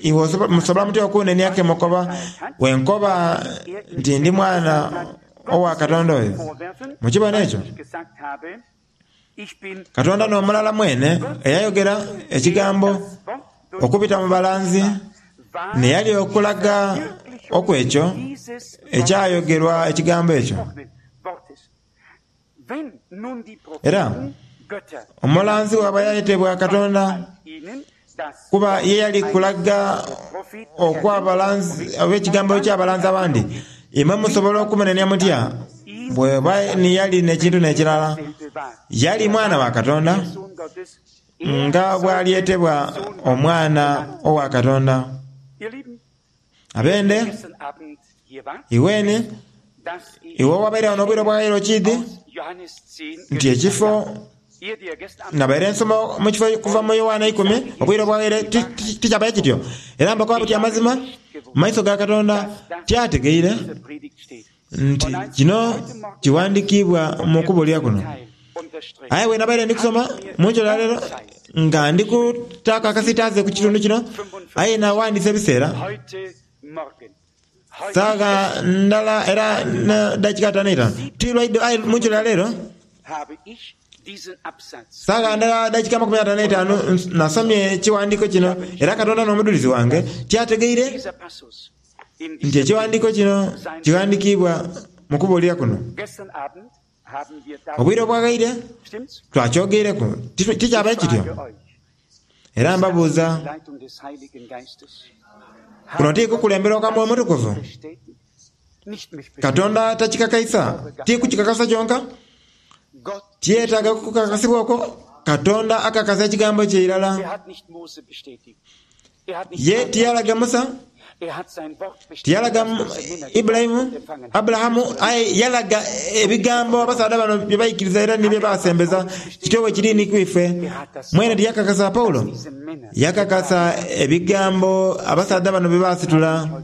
iwe musobola mutya okunenia ke mukoba bwe nkoba nti ndi Mwana owa Katonda oyo? Mukibona ekyo? Katonda n'omulala mwene eyayogera ekigambo okubita mu balanzi, n'eyali okulaga okw'ekyo ekyayogerwa ekigambo ekyo. Era omulanzi bw'aba yayetebwa Katonda, kuba ye yali kulaga okw'abalanzi oba ekigambo eky'abalanzi abandi, imwe musobola okumunenia mutya bw'eba ni yali n'ekintu n'ekirala? Yali Mwana wa Katonda, nga bw'alyetebwa Omwana owa Katonda. Abende, iweni. Iwe owabairegho n'obwire obwaghaire okiidhi nti ekifo nabaire nsoma mu kifo kuva mu Yowaana eikumi, obwire obwaghaire tikyabaire kityo. Era mbakoba buti amazima mu maiso ga Katonda tyategeire nti kino kiwandikiibwa mu kubuulira kuno. Aye bwe nabaire ndi kusoma mu nkyo ya leero, nga ndi kutaaku akasiitaaze ku kitundu kino, aye nawandiisa ebiseera. Saagha ndala era n'edakika ataanu eitaanu. Ti lwa idho aye mu nkyo ya leero, saagha ndala dakika amakumi ataanu eitaanu, nasomye ekiwandiiko kino, era Katonda n'omudhulizi wange, tyategeire nti ekiwandiiko kino kighandikiibwa mu kubuulira kuno. Obwire obwaghaire twakyogeireku, tikyabaire kityo? Era mbabuuza, kuno ti kukulemberwa kwa Mwoyo Mutukuvu? Katonda takikakaisa, ti kukikakasa kyonka, tiyetaaga kukakasibwa okwo. Katonda akakasa ekigambo kye irala. Ye tiyalaga Musa, tiyalaga Ibulayimu, Aburahamu, aye yalaga ebigambo abasaadha bano bye baikiriza era ni bye baasembeza. Kityo bwe kiri ni ku ife. Mwene tiyakakasa Paulo? Yakakasa ebigambo abasaadha bano bye baasitula.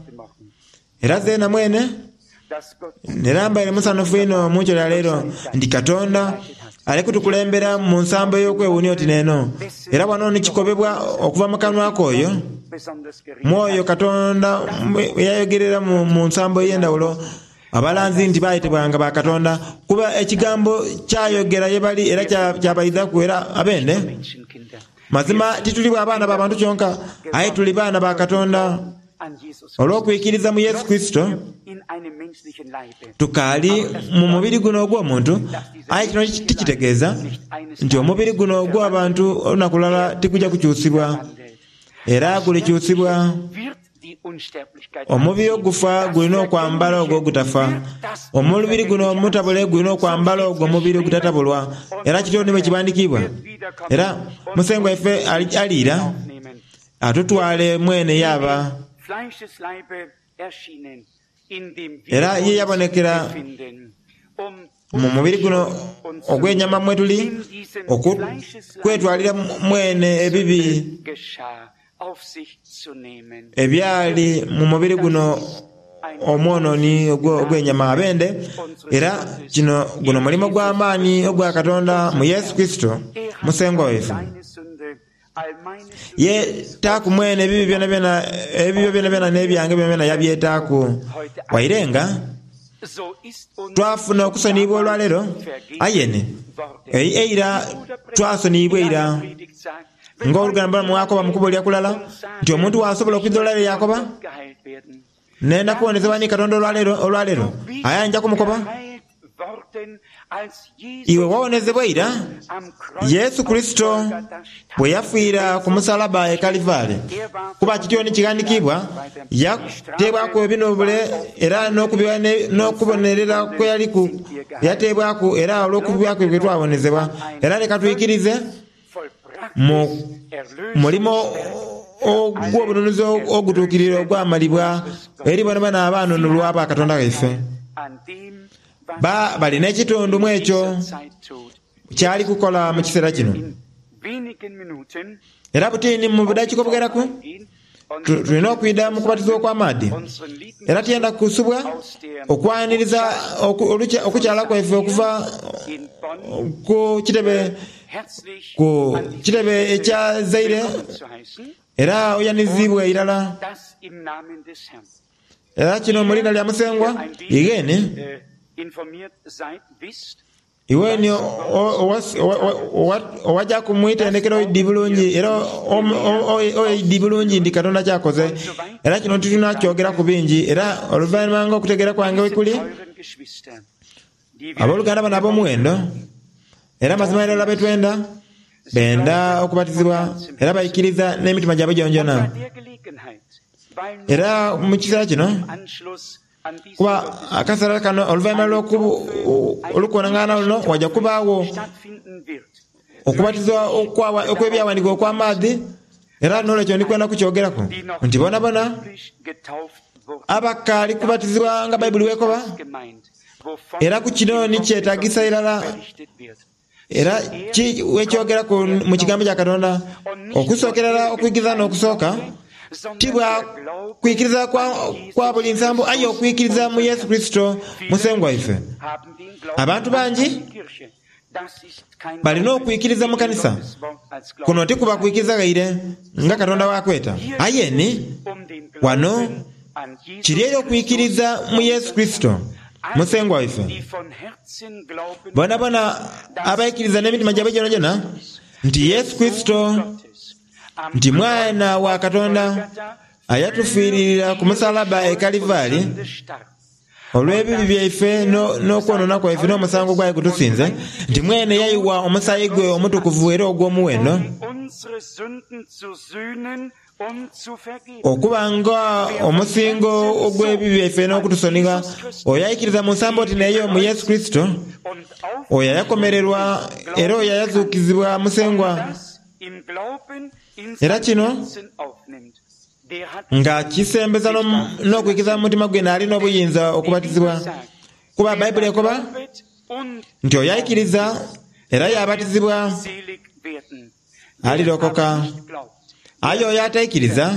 Era zeena mwene nera mbaire musanhufu inho mu nkyo ya leero nti Katonda ali kutukulembera mu nsambo ey'okwewuunia oti n'eno. Era wano ni kikobebwa okuva mu kanwa k'oyo Mwoyo Katonda eyayogerera mu nsambo ey'endhawulo abalanzi nti baayetebwanga ba Katonda, kuba ekigambo kyayogera ye bali era kyabaidhaku era abende. Mazima tituli bwa baana ba bantu kyonka, aye tuli baana ba Katonda. Olw'okwikiriza mu Yesu Kurisito, tukaali mu mubiri guno ogw'omuntu, aye kino tikitegeeza nti omubiri guno ogw'abantu olunaku lulala tiguja kukyusibwa. Era gulikyusibwa. Omubiri ogufa gulina okwambala ogwo ogutafa. Omubiri guno omutabule gulina okwambala ogwo omubiri ogutatabulwa. Era kityo ni bwe kighandikiibwa. Era Musengwa waife aliira. Atutwale mwene yaaba. Era ye yabonekera mu mubiri guno ogw'enyama mwe tuli, okwetwalira mwene ebibi ebyali mu mubiri guno omwonooni ogw'enyama. Abende, era kino guno mulimo gwa maani ogwa Katonda mu Yesu Kurisito Musengwa waife. Yeetaaku mwene ebibi byonabyona, ebibyo byonabyona n'ebyange byonabyona yabyetaaku. Waire nga twafuna okusoniyibwa olwaleero, aye ni eira twasoniyibwa ira. Ng'oluganda Branham bw'akoba mu kubuulira kulala nti omuntu bw'asobola okwidha olwaleero yaakoba, Nenda kuwonezebwa ni Katonda olwaleero, olwaleero, aye nja kumukoba, Iwe wawonezebwa ira, Yesu Kurisito bwe yafiira ku musalaba e Kalivari. Kuba kityo ni kighandikiibwa, Yateebwaku ebinhubule era n'okubonerera kwe yaliku yateebwaku, era olw'okubibwa kwe twawonezebwa. Era leka twikirize mu mulimo ogw'obununuzi ogutuukiriire ogwamalibwa eri boonaboona abaanunulwa aba Katonda waife. Ba bali n'ekitundu mu ekyo ky'ali kukola mu kiseera kino. Era buti ni mu budakiika obugheraku, tulina okwidha mu kubatizibwa okw'amaadhi. Era tiyenda kusubwa okwaniriza okukyala kwaife okuva ku kitebe ku kitebe ekya Zaire, era oyaniziibwa irala. Era kino mu liina lya Musengwa, igheene. Iwe ni owajaku mu itendekero oidhi bulungi era oidhi bulungi nti Katonda ky'akoze. Era kino titulina kyogeraku bingi. Era oluvainhuma nga okutegeera kwange bwe kuli, aboluganda bano ab'omuwendo, era mazima irala be twenda, benda okubatizibwa era baikiriza n'emitima gyabwe gyonagyona. Era mu kiseera kino, Kuba akaseera kano oluvainhuma lw'olukungaana luno waja kubaagho okubatizibwa okw'ebyawandiikibwa okw'amaadhi. Era n'olwekyo ndi kwenda kukyogeraku nti bonabona abakaali kubatizibwa nga Baibuli bw'ekoba, era ku kino ni kyetagisa irala, era ki wekyogeraku mu Kigambo kya Katonda, okusookera irala okwikiriza n'okusooka, ti bwa kwikiriza kwa, kwa buli nsambo, aye okwikiriza mu Yesu Kurisito Musengwa waife. Abantu bangi balina okwikiriza mu kanisa. Kuno ti kuba kwikiriza ghaire nga Katonda bw'akweta. Aye ni wano kiri eri okwikiriza mu Yesu Kurisito Musengwa waife. Bonabona abaikiriza n'emitima gyaibwe gyonagyona nti Yesu Kurisito nti Mwana wa Katonda ayatufiiririra ku musalaba e Kalivari olw'ebibi byaife n'okwonoona kwaife n'omusango gwali gutusinze, nti mwene yaiwa omusaayi gwe omutukuvu era ogw'omuwendo, okuba nga omusingo ogw'ebibi byaife n'okutusonigha. Oyo aikiriza mu nsambo oti n'eyo mu Yesu Kurisito, oyo ayakomererwa era oyo ayazuukizibwa Musengwa. Era kino nga kisembeza n'okwikiriza mu mutima gwe naali n'obuyinza okubatizibwa. Kuba Baibuli ekoba nti oyo aikiriza era yaabatizibwa alirokoka, aye oyo ataikiriza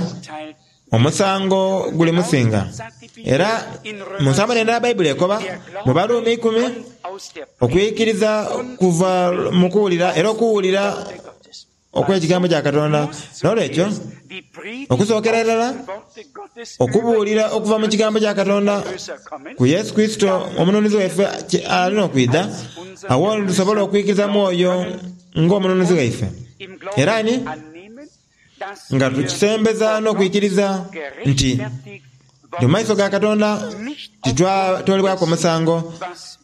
omusango gulimusinga. Era mu nsambo n'endala Baibuli ekoba mu Baruumi ikumi, okwikiriza kuva mu kuwulira era okuwulira okw'Ekigambo kya Katonda. N'olwekyo, okusookera irala, okubuulira okuva mu Kigambo kya Katonda ku Yesu Kurisito Omununuzi waife alina okwidha, agho ni tusobola okwikiriza mu oyo ng'Omununuzi waife. Era ni nga tukisembeza n'okwikiriza nti mu maiso ga Katonda titwatoolebwaku omusango,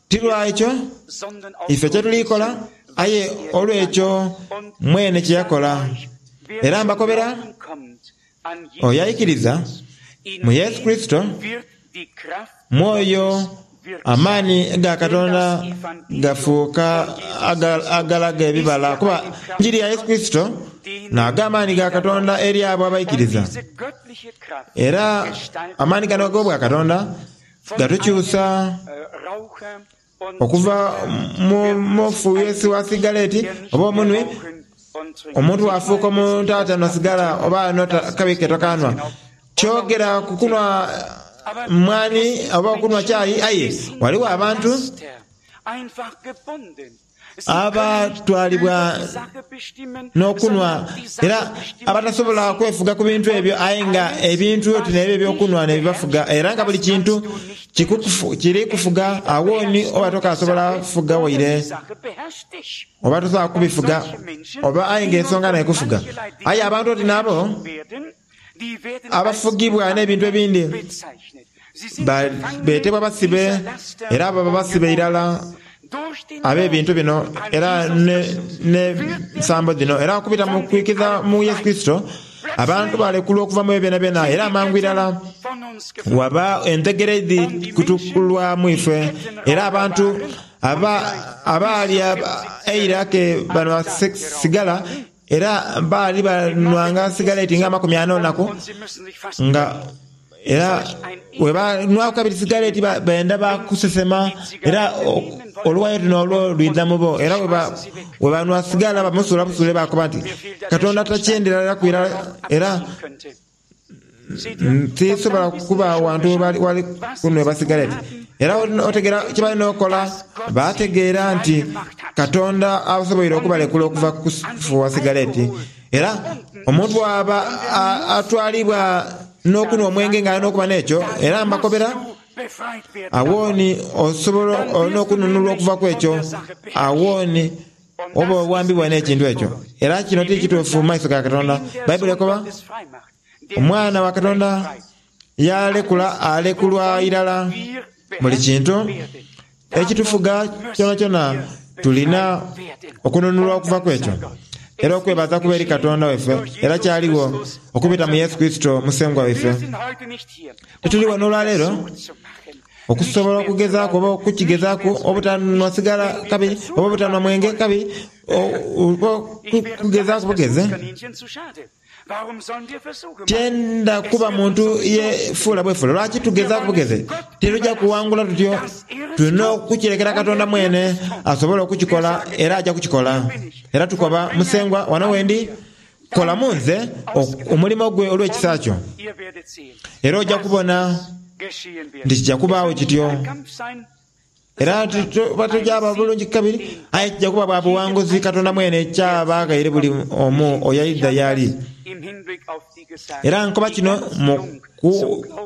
ti lwa ekyo ife kye tuli kola, aye olw'ekyo mwene kye yakola. Era mbakobera, oyo aikiriza mu Yesu Kurisito, mu oyo amaani ga Katonda gafuuka agalaga ebibala, kuba Enjiri ya Yesu Kurisito n'ago amaani ga Katonda eri abo abaikiriza. Era amaani gano ag'obwakatonda gatukyusa okuva mu mufuuyesi wa sigaleti oba omunhwi, omuntu bw'afuuka omuntu atanhwa sigala oba anhwa kabi ke tokanhwa. Kyogera ku kunhwa mwani oba okunhwa kyayi aye ghaligho abantu abatwalibwa n'okunhwa era abatasobola kwefuga ku bintu ebyo aye nga ebintu oti n'ebyo eby'okunhwa n'ebibafuga era nga buli kintu kiri kufuga agho ni oba tokasobola kufuga waire oba tosobola kubifuga oba aye nga ensonga n'ekufuga. Aye abantu oti n'abo abafugibwa n'ebintu ebindi beetebwa basibe era abo baba basibe irala ab'ebintu bino era n'ensambo dhino. Era okubita mu kwikiriza mu Yesu Kurisito, abantu balekulwa okuva mu ebyo byonabyona era amangu irala waba entegera edhi kutukulwamu ife. Era abantu abaali eira ke banhwa sigala Era baali banwanga sigaleti nga amakumi ana olunaku, nga era bwe banwaku kabiri sigaleti benda bakusesema, era oluwayo luno olwo lwidha mu bo. Era bwe banwa sigala bamusuula busuule baakoba nti, Katonda takyenderaku irala era Tisobola kuba wantu wali kunhwebwa sigaleti. Era otegeera kye balina okola? Baategeera nti Katonda asoboire okubalekula okuva ku kufuuwa sigaleti. Era omuntu bw'aba atwalibwa n'okunhwa omwenge nga alina okuba n'ekyo, era mbakobera, agho ni osobola olina okununulwa okuva ku ekyo. Agho ni oba owambibwa n'ekintu ekyo. Era kino ti kituufu mu maiso ga Katonda. Baibuli ekoba, Omwana wa Katonda yaalekula alekulwa irala buli kintu ekitufuga kyonakyona. Tulina okununulwa okuva ku ekyo. Era okwebaza kube eri Katonda waife, era kyaligho okubita mu Yesu Kurisito Musengwa waife. Tituli wano olwaleero okusobola okugezaaku oba okukigezaaku obutanhwa sigala kabiri oba obutanhwa mwenge kabiri, oba okugezaaku bugeze. Tyenda kuba muntu yefuula bwefuule. Lwaki tugezaaku bugeze? Tituja kuwangula tutyo. Tulina okukirekera Katonda mwene asobole okukikola, era aja kukikola. Era tukoba, Musengwa, wano wendi, kola mu nze omulimo gwe olw'ekisa kyo. Era oja kubona nti kija kubaagho kityo. Era tuba tujaaba bulungi kabiri, aye kija kuba bwa buwanguzi Katonda mwene ky'aba aghaire buli omu oyo aidha y'ali. Era nkoba kino mu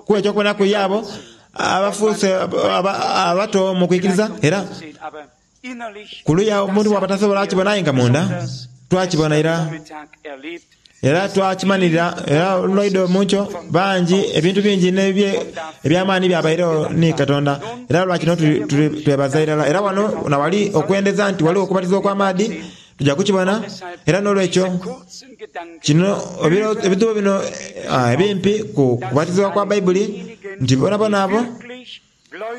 kuwa eky'okubonaku eri abo abafuuse abato mu kwikiriza, era ku luya omuntu bw'aba tasobola kukibona aye nga munda twakibona ira. Era twakimanhirira era olwaidho mu nkyo bangi ebintu bingi n'eby'amaani byabairegho ni Katonda. Era lwa kino twebaza irala. Era wano na wali okwendeza nti ghaligho okubatizibwa okw'amaadhi, tuja kukibona. Era n'olwekyo kino ebidhuubo bino ebimpi ku kubatizibwa kwa Baibuli, nti bonabona abo,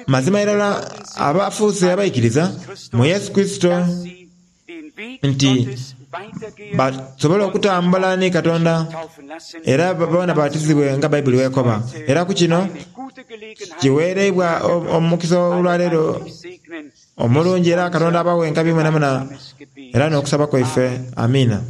mazima irala abafuuse abaikiriza mu Yesu Kurisito, nti basobole okutambula ni Katonda era boona babatizibwe nga Baibuli bw'ekoba. Era ku kino kiweereibwa omukisa olwaleero omulungi era Katonda abawe enkabi mwenamwena era n'okusaba kwaife. Amiina.